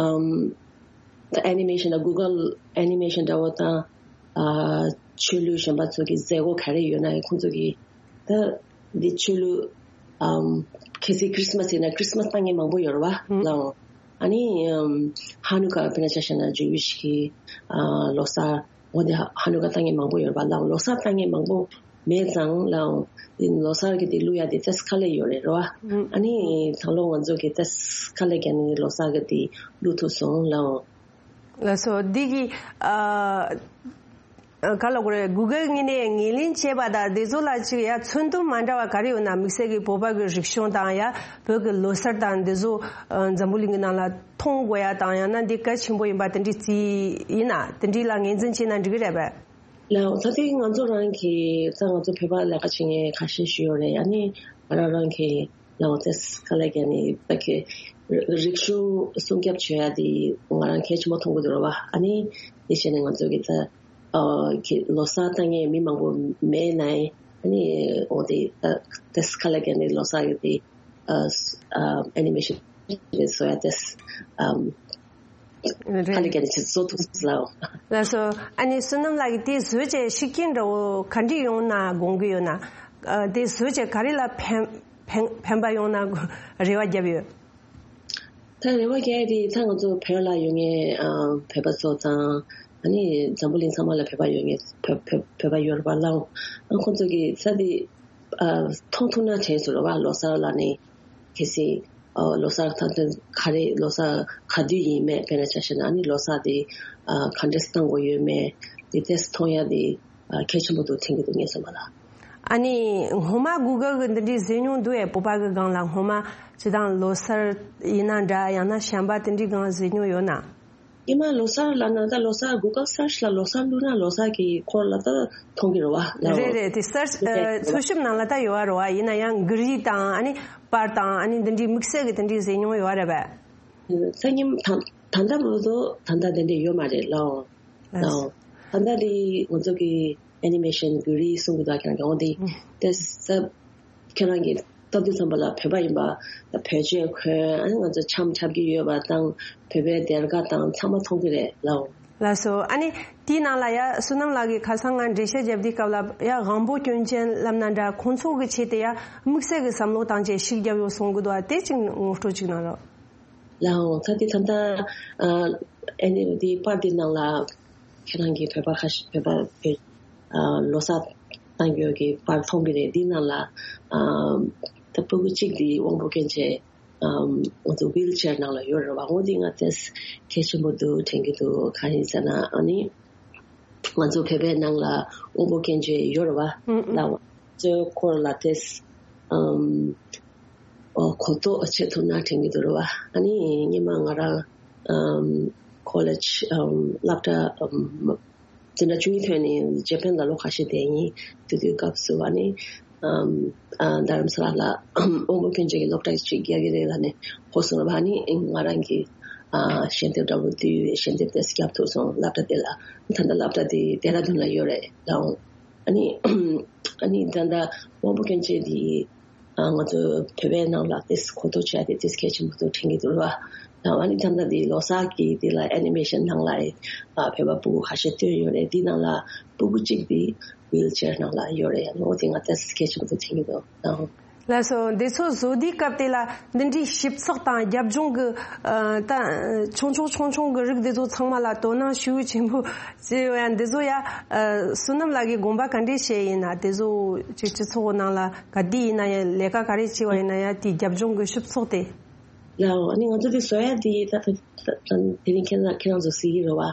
ཨམ། ད་animation ལ་Google animation འདྲ་བོ་དང་ཨ་ཆོས་ལུགས་གཞན་པ་ཚོ་གི་མཛད་སྒོ་ག་རེ་ཡོད་ན་ཁོང་ཚོ་གི་ད་འདི་ཆོས་ལུགས་ཨམ་གལ་སྲིད་Christmas ཡིན་ན་Christmas བཏང་མཁན་མང་པོ་ཡོད་རེད་བ་ལའོ། ཨ་ནི་ཨམ་Hanukkah དཔེར་ན་ཆ་བཞག་ན་Jewish གི་ཨ་ལོ་གསར་འོ་འདི་Hanukkah བཏང་མཁན་མང་པོ་ཡོད་རེད་བ་ལའོ། ལོ་གསར་བཏང་མཁན་མང་པོ་ མེད་ཙང་ལའོ། དེ་ལོ་གསར་གྱི་དེ་བླུག་ཡ་དེ་ཏེས་དཀའ་ལས་ཡོད་རེད་རོ། ཨ་ནི་ད་ལོ་ང་ཚོ་གི་ཏེས་དཀའ་ལས་བརྒྱབ་ནས་ལོ་གསར་གྱི་དེ་བླུག་ཐུབ་སོང་ལའོ། ལགས་སོ། འདི་གི་ཨ་ག་ལ་གོ་རེད། གུ་གལ་ངོས་ནས་ངོས་ལེན་བྱས་པ་དང་དེ་ཚོ་ལ་ཅིག་ཡ་མཚོན་དོན་མ་འདྲ་བ་ག་རེ་ཡོད་ན། དམིགས་བསལ་གྱི་བོད་པ་གི་རིག་གཞུང་དང་ཡ་བོད་ཀྱི་ལོ་གསར་དང་འདི་ཚོ་ཨ་འཛམ་བུ་གླིང་གི་ནང་ལ་མཐོང་དགོས་ཡ་དང་། ཡང་ན་འདི་གལ་ཆེན་པོ་ཡིན་པ་དེ་འདྲའི་རྩིས་ཡིན་ན་དེ་འདྲའི་ལ་ངོས་འཛིན་བྱས་ན་འགྲིག་གི་རེད་པས། ལའོ། ད་ལྟའི་ང་ཚོ་རང་གི་ད་ང་ཚོ་བོད་པ་ལས་ཀ་བྱེད་མཁན་ཁ་ཤས་ཤིག་ཡོད་རེད། ཨ་ནི་ང་རང་རང་གི་ལའོ་ཏེས་དཀའ་ལས་བརྒྱབ་ནས་ད་གི་རིག་གཞུང་སྲུང་སྐྱོབ་བྱེད་ཡ་དེ་ང་རང་གལ་ཆེན་པོ་མཐོང་གི་འདུག་ར་བ། ཨ་ནི་དེ་བྱས་ནས་ང་ཚོ་གི་ད་ཨ་གི་ལོ་གསར་བཏང་མཁན་མི་མང་པོ་མེད་ནའི་ཨ་ནི་འོ་དེ་ད་ཏེས་དཀའ་ལས་བརྒྱབ་ནས་ལོ་གསར་གི་དེ་ཨ་ཨ་ཨེ་ནི་མེ་ཤན་རེད་བཟོ་ཡ་ཏེས་ཨམ་རེད། དཀའ་ལས་བརྒྱབ་ནས་ཅིག་བཟོ་ཐུབ་ལའོ། ལགས་སོ། ཨ་ནི་བསོད་ནམས་ལགས་ཀྱིས་དེ་བཟོས་བྱས་ཤུགས་རྐྱེན་འདྲ་བོ་ག་འདྲ་ཡོང་ན་དགོངས་ཀྱི་ཡོད་ན། ཨ་དེ་བཟོས་བྱས་ག་རེ་ལ་ཕན་ཕན་ཕན་པ་ཡོང་ན་རེ་བ་བརྒྱབ་ཡོད། ད་རེ་བ་རྒྱག་ཡ་དེ་ད་ང་ཚོ་བོད་ལ་ཡོད་མཁན་ཨ་བོད་པ་ཚོ་དང་ཨ་ནི་འཛམ་བུ་གླིང་ཚང་མ་ལ་བོད་པ་ཡོད་མཁན་བོད་བོད་བོད་པ་ཡོད་རེད་པ་ལའོ། ཨ་ཁོང་ཚོ་གི་ས་དེ་ཨ་མཐོང་ཐུབ་ན་དྲན་སོང་རེད་བ། ལོ་གསར་ལ་ནི་གལ་སྲིད་ཨ་ལོ་གསར་ད་ལྟ་ག་རེ་ལོ་གསར་ག་དུས་ཡིན་མེད། དཔེར་ན་ཆ་བཞག་ན་ཨ་ནི་ལོ་གསར་དེ་ཨ་ག་འདྲས་བཏང་དགོས་ཡོད་མེད་དེ་ཏེས་མཐོང་ཡ་དེ་ཨ་གལ་ཆེན་པོ་འདུག་དྲན་གྱི་འདུག་ངས་བསམ་པ་ལ། ཨ་ནི་སྔོན་མ་གུ་གལ་གི་འདི་འདྲའི་བཟོས་མྱོང་འདུག་ཨེ། བོད་པ་གི་སྒང་ལ་སྔོན་མ་སྤྱི་བཏང་ལོ་གསར་ཡིན་ན་འདྲ། ཡང་ན་བྱམས་པ་དེ་འདྲའི་སྒང་བཟོས་མྱོང་ཡོད་ན། ཉི་མ་ལོ་གསར་ལབ་ན་ད་ལོ་གསར་གུ་གལ་སར་ཆི་ལ་ལོ་གསར་བླུགས་ན་ལོ་གསར་གྱི་སྐོར་ལ་ད་མཐོང་གི་རེད་བ་ལའོ། རེད་རེད། དེ་གསར་ཨ་འཚོལ་ཞིབ་ནང་ལ་ད་ཡོད་རེད་བ། ཡིན་ན་ཡང་གི་རིགས་དང་ཨ་ནི་པར་དང་ཨ་ནི་འདི་འདྲའི་དམིགས་བསལ་གྱི་དེ་འདྲའི་བཟོས་མྱོང་ཡོད་རེད་པས། ད་ཉིན་ད་ད་ལྟ་བར་དུ་ད་ལྟ་དེ་འདྲ་ཡོད་མ་རེད་ལའོ། ལའོ། ད་ལྟ་དེ་ང་ཚོ་གི་ཨེ་ནི་མེ་ཤན་གི་རིགས་གསུང་གི་འདུག་ཁྱེད་རང་གི་འོང་དེ་ཏེས་ཁྱེད་རང་གི་སྟབས་བདེ་ཙམ་པ་ལ་བོད་པ་ཡིན་པ་ད་བོད་ཆས་གོན་ཨ་ནི་ང་ཚོ་འཆམ་འཁྲབ་ཀྱི་ཡོད་པ་དང་བོད་པའི་སྡེར་ཁ་དང་ཚང་མ་མཐོང་གི་རེད་ལའོ། ལགས་སོ། ཨ་ནི་དེའི་ནང་ལ་ཡ་བསོད་ནམས་ལགས་ཀྱིས་ཁ་སང་ང་འགྲེལ་བཤད་བརྒྱབ་དུས་སྐབས་ལ་ཡ་དབང་པོ་སྐྱོན་ཅན་ལབ་ན་འདྲ། ཁོང་ཚོ་གི་ཆེད་དུ་ཡ་དམིགས་བསལ་གྱི་བསམ་བློ་བཏང་བྱས་ཤུགས་བརྒྱབ་ཡོད་གསུང་གི་འདུག་ཨ་དེ་ཅིག་ངོ་སྤྲོད་ཅིག་གནང་རོགས། ལའོ། ད་དེ་ད་ལྟ་ཨ་ཨེ་ནི་དེ་པར་དེ་ནང་ལ་ཁྱེད་རང་གི་བོད་པ་ཁ་ཤས་བོད་པ་བོད་ཨ་ལོ་གསར་བཏང་ཡོད་ཀྱི་པར་མཐོང་གི་རེད། དེ་ནང་ལ་ཨ་ད་ཕྲུ་གུ་གཅིག་དེ་དབང་པོ་སྐྱོན་ཅན་ཨམ་ང་ཚོ་ཝིལ་ཅེར་ནང་ལ་ཡོད་རེད་བ། འོ་དེ་ང་ཏེས་གལ་ཆེན་པོ་འདུག་དྲན་གྱི་འདུག་གང་ཡིན་ཟེར་ན་ཨ་ནི་ང་ཚོ་བོད་པའི་ནང་ལ་དབང་པོ་སྐྱོན་ཅན་ཡོད་རེད་བ། ཨུ་ཨུ། ལའོ། ཚོའི་སྐོར་ལ་ཏེས་ཨམ་ཨོ་གོ་རྟོགས་བྱེད་ཐུབ་ན་དྲན་གྱི་འདུག་རེད་བ། ཨ་ནི་སྔོན་མ་ང་རང་ཨམ་ཁོ་ལེཇ་ཨམ་སློབ་གྲྭ་ཨམ་འཛིན་གྲྭ་བཅུ་གཉིས་ཐོན་ནས་ཇེ་པན་ལ་ལོ་ཁ་ཤས་བསྡད་ཡིན། དེ་དུས་སྐབས་སུ་ཨ་ནི་ཨམ་ཨ་རྡ་རམ་ས་ལ་ལ་དབང་པོ་སྐྱོན་ཅན་གྱི་སློབ་གྲྭ་ཞིག་རྒྱག་གི་རེད་ལབ་ནས་གོ་སོང་རེད་བ། ཨ་ནི་ང་རང་གིས་ཨ་ཞལ་འདེབས་འདྲ་པོ་བསྡུས། ཞལ་འདེབས་དེ་བརྒྱབ་ཐུབ་སོང་སློབ་གྲྭ་དེ་ལ། ད་ལྟ་སློབ་གྲྭ་དེ་ལྡེ་ར་ལྡུན་ལ་ཡོད་རེད་ལའོ། ཨ་ནི་ཨ་ནི་ད་ལྟ་དབང་པོ་སྐྱོན་ཅན་དེ་ཨ་ང་ཚོ་བོད་པའི་ནང་ལ་ཏེས་གོ་རྟོགས་བྱས་ཏེ་ཏེས་གལ་ཆེན་པོ་འདུག་དྲན་གྱི་འདུག་རེད་བ། ཨ་ནི་ད་ལྟ་དེ་ལོ་གསར་གྱི་དེ་ལ་ཨེ་ནི་མེ་ཤན་ནང་ལ་ཨ་བོད་པ་ཕྲུ་གུ་ཁ་ཤས་བཏོན་ཡོད་རེད། དེ་ནང་ལ་ཕྲུ་གུ་གཅིག་དེ་ཝིལ་ཅེར་ནང་ལ་ཡོད་རེད། འོ་དེ་ང་ཏེས་གལ་ཆེན་པོ་འདུག་དྲན་གྱི་འདུག་ཨ། ལགས་སོ། འདི་ཚོ་བཟོ་དུས་སྐབས་དེ་ལ་འདི་འདྲའི་ཞིབ་ཚགས་དང་རྒྱབ་ལྗོངས་ཀྱི་ཨ་ད་ཆུང་ཆུང་ཆུང་ཆུང་གི་རིགས་འདི་ཚོ་ཚང་མ་ལ་དོ་སྣང་ཤུགས་ཆེན་པོ་བྱས་ཡོད་ཡ། འདི་ཚོ་ཡ་ཨ་བསོད་ནམས་ལགས་ཀྱིས་དགོངས་པ་ག་འདྲས་བཞེས་ཡིན་ན། དེ་ཚོ་ཅིག་སྤྱི་ཚོགས་ནང་ལ་ག་དུས་ཡིན་ན་ཡང་ལས་ཀ་ག་རེ་བྱས་པ་ཡིན་ན་ཡང་དེའི་རྒྱབ་ལྗོངས་ཀྱི་ཞིབ་ཚགས་དེ། ལའོ། ཨ་ནི་ང་ཚོ་དེ་བཟོ་ཡ་དེ་ད་ད་ད་དེ་རིང་ཁྱེད་རང་ཁྱེད་རང་ཚོ་གཟིགས་ཀྱི་རེད་བ།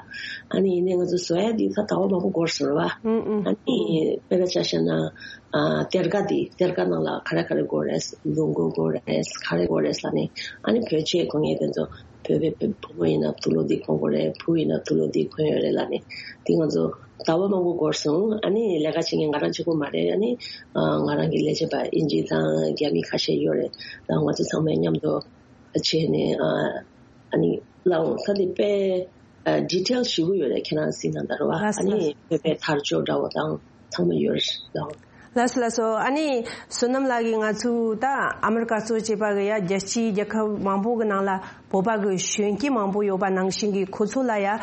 ཨ་ནི་ཡིན་ནའི་ང་ཚོ་བཟོ་ཡ་དེ་ད་ཟླ་བ་མང་པོ་འགོར་སོང་རེད་བ། ཨུ་ཨུ། ཨ་ནི་དཔེར་ན་ཆ་བཞག་ན་ཨ་སྡེར་ཁ་དེ་སྡེར་ཁ་ནང་ལ་ག་རེ་ག་རེ་དགོས་རེད། ལུག་མགོ་དགོས་རེད། ག་རེ་དགོས་རེད་ལབ་ནས། ཨ་ནི་བོད་ཆས་གོན་མཁན་དེ་ཚོ་བོད་པའི་བུ་བུ་མོ་ཡིན་ན་དུག་ལོག་དེ་གོན་དགོས་རེད། བུ་ཡིན་ན་དུག་ལོག་དེ་གོན་ཡོད་རེད་ལབ་ནས། དེ་ང་ཚོ་ཟླ་བ་མང་པོ་འགོར་སོང་། ཨ་ནི་ལས་ཀ་བྱེད་མཁན་ང་རང་གཅིག་པོ་མ་རེད། ཨ་ནི་ཨ་ང་རང་གི་ལས་བྱེད་པ་དབྱིན་ཇི་དང་རྒྱ་མི་ཁ་ཤས་ཡོད་རེད། ད་ང་ཚོ་ཚང་མས་མཉམ་དུ་བྱས་ནས་ཨ་ཨ་ནི་ལའོ། ད་དེ་དཔེ་ཨ་ཌི་ཊེལ་ཞེ་པོ་ཡོད་རེད། ཁྱེད་རང་གཟིགས་ན་ད་རེད་བ། ལགས་སོ། ཨ་ནི་བོད་པའི་དར་ལྕོག་འདྲ་བོ་དང་ཚང་མ་ཡོད་རེད་ལའོ། ལགས་སོ་ལགས་སོ། ཨ་ནི་བསོད་ནམས་ལགས་ཀྱིས་ང་ཚོའི་ད་ཨ་མི་རི་ཀ་གཙོ་བྱས་པ་གི་ཡ་རྒྱལ་སྤྱིའི་རྒྱལ་ཁབ་མང་པོ་གི་ནང་ལ་ བོད་པ་གི་གཞོན་སྐྱེས་མང་པོ་ཡོད་པ་ནང་བཞིན་གྱི་ཁོ་ཚོ་ལ་ཡ་ཨ་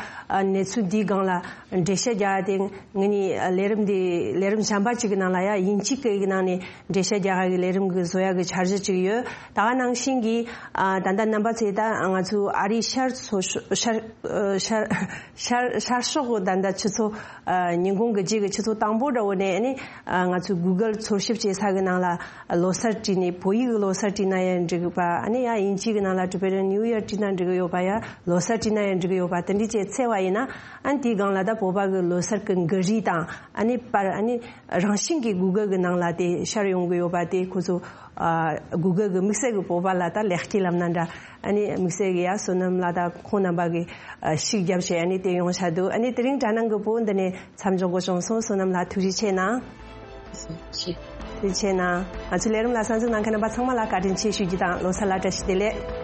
གནས་ཚུལ་འདིའི་སྒང་ལ་འགྲེལ་བཤད་རྒྱག་ཡ་དེ་ངེད་གཉིས་ལས་རིམ་འདི་ལས་རིམ་གཞན་པ་གཅིག་གི་ནང་ལ་ཡ་དབྱིན་ཇི་སྐད་ཀྱི་ནང་ནས་འགྲེལ་བཤད་རྒྱག་ཡ་གི་ལས་རིམ་གྱི་བཟོ་ཡ་གི་འཆར་གཞི་གཅིག་ཡོད། ད་ག་ནང་བཞིན་གྱི་ཨ་ད་ལྟ་རྣམ་པ་ཚོས་ད་ང་ཚོའི་ཨ་རིའི་ཤར་ཚོ་ཤར་ཤར་ཤར་ཤར་ཕྱོགས་གི་ད་ལྟ་ཆུ་ཚོད་ཨ་ཉིན་གུང་གི་རྗེས་ཀྱི་ཆུ་ཚོད་དང་པོ་འདྲ་བོ་ནས་ཨ་ནི་ཨ་ང་ཚོའི་Google འཚོལ་ཞིབ་བྱེད་ས་གི་ནང་ལ་ལོ་སར་བྲིས་ནས་བོད་ཡིག་གི་ལོ་སར་བྲིས་ན་ཡང་འགྲིག་པ། ཨ་ནི་ཡང་དབྱིན་ཇི་གི་ནང་ལ་Tibetan New Year བྲིས་ན་འགྲིག་གི་ཡོད་པ། ཡང་ལོ་སར་བྲིས་ན་ཡང་འགྲིག་གི་ཡོད་པ། དེ་འདྲ་བྱས་བཙལ་བ་ཡིན་ན་ཨ་ནི་དེའི་སྒང་ལ་ད་བོད་པ་གི་ལོ་སར་གི་འགུལ་རིས་དང་ཨ་ནི་པར་ཨ་ནི་རང་བཞིན་གྱིས་Google གི་ནང་ལ་དེ་ཤར་ཡོང་གི་ཡོད་པ། དེ་ཁོ་ཚོ་ཨ་Google གི་དམིགས་བསལ་གྱི་བོད་པ་ལ་ད་ལེགས་སྐྱེས་ལབ་ན་འདྲ། ཨ་ནི་དམིགས་བསལ་གྱི་ཡ་བསོད་ནམས་ལགས་དང་ཁོང་རྣམ་པ་གི་ཨ་ཤུགས་རྒྱབ་བྱས་ཨ་ནི་དེ་ཡོང་བྱ་འདུག་ཨ་ནི་དེ་རིང་དྲ་སྣང་གི་བོད་འདི་ནས་མཚམས་འཇོག་དགོས་བྱུང་སོང་། བསོད་ནམས་ལགས་ཐུགས་རྗེ་ཆེ་གནང་། ཐུགས་རྗེ་ཆེ་གནང་། ང་ཚོའི་ལས་རིམ་ལ་གསན་གཟིགས་གནང་མཁན་རྣམ་པ་ཚང་མ་ལ་བཀའ་དྲིན་ཆེ་ཞུ་རྒྱུ་དང་ལོ་གསར་ལ་བཀྲ་ཤིས་བདེ་ལེགས།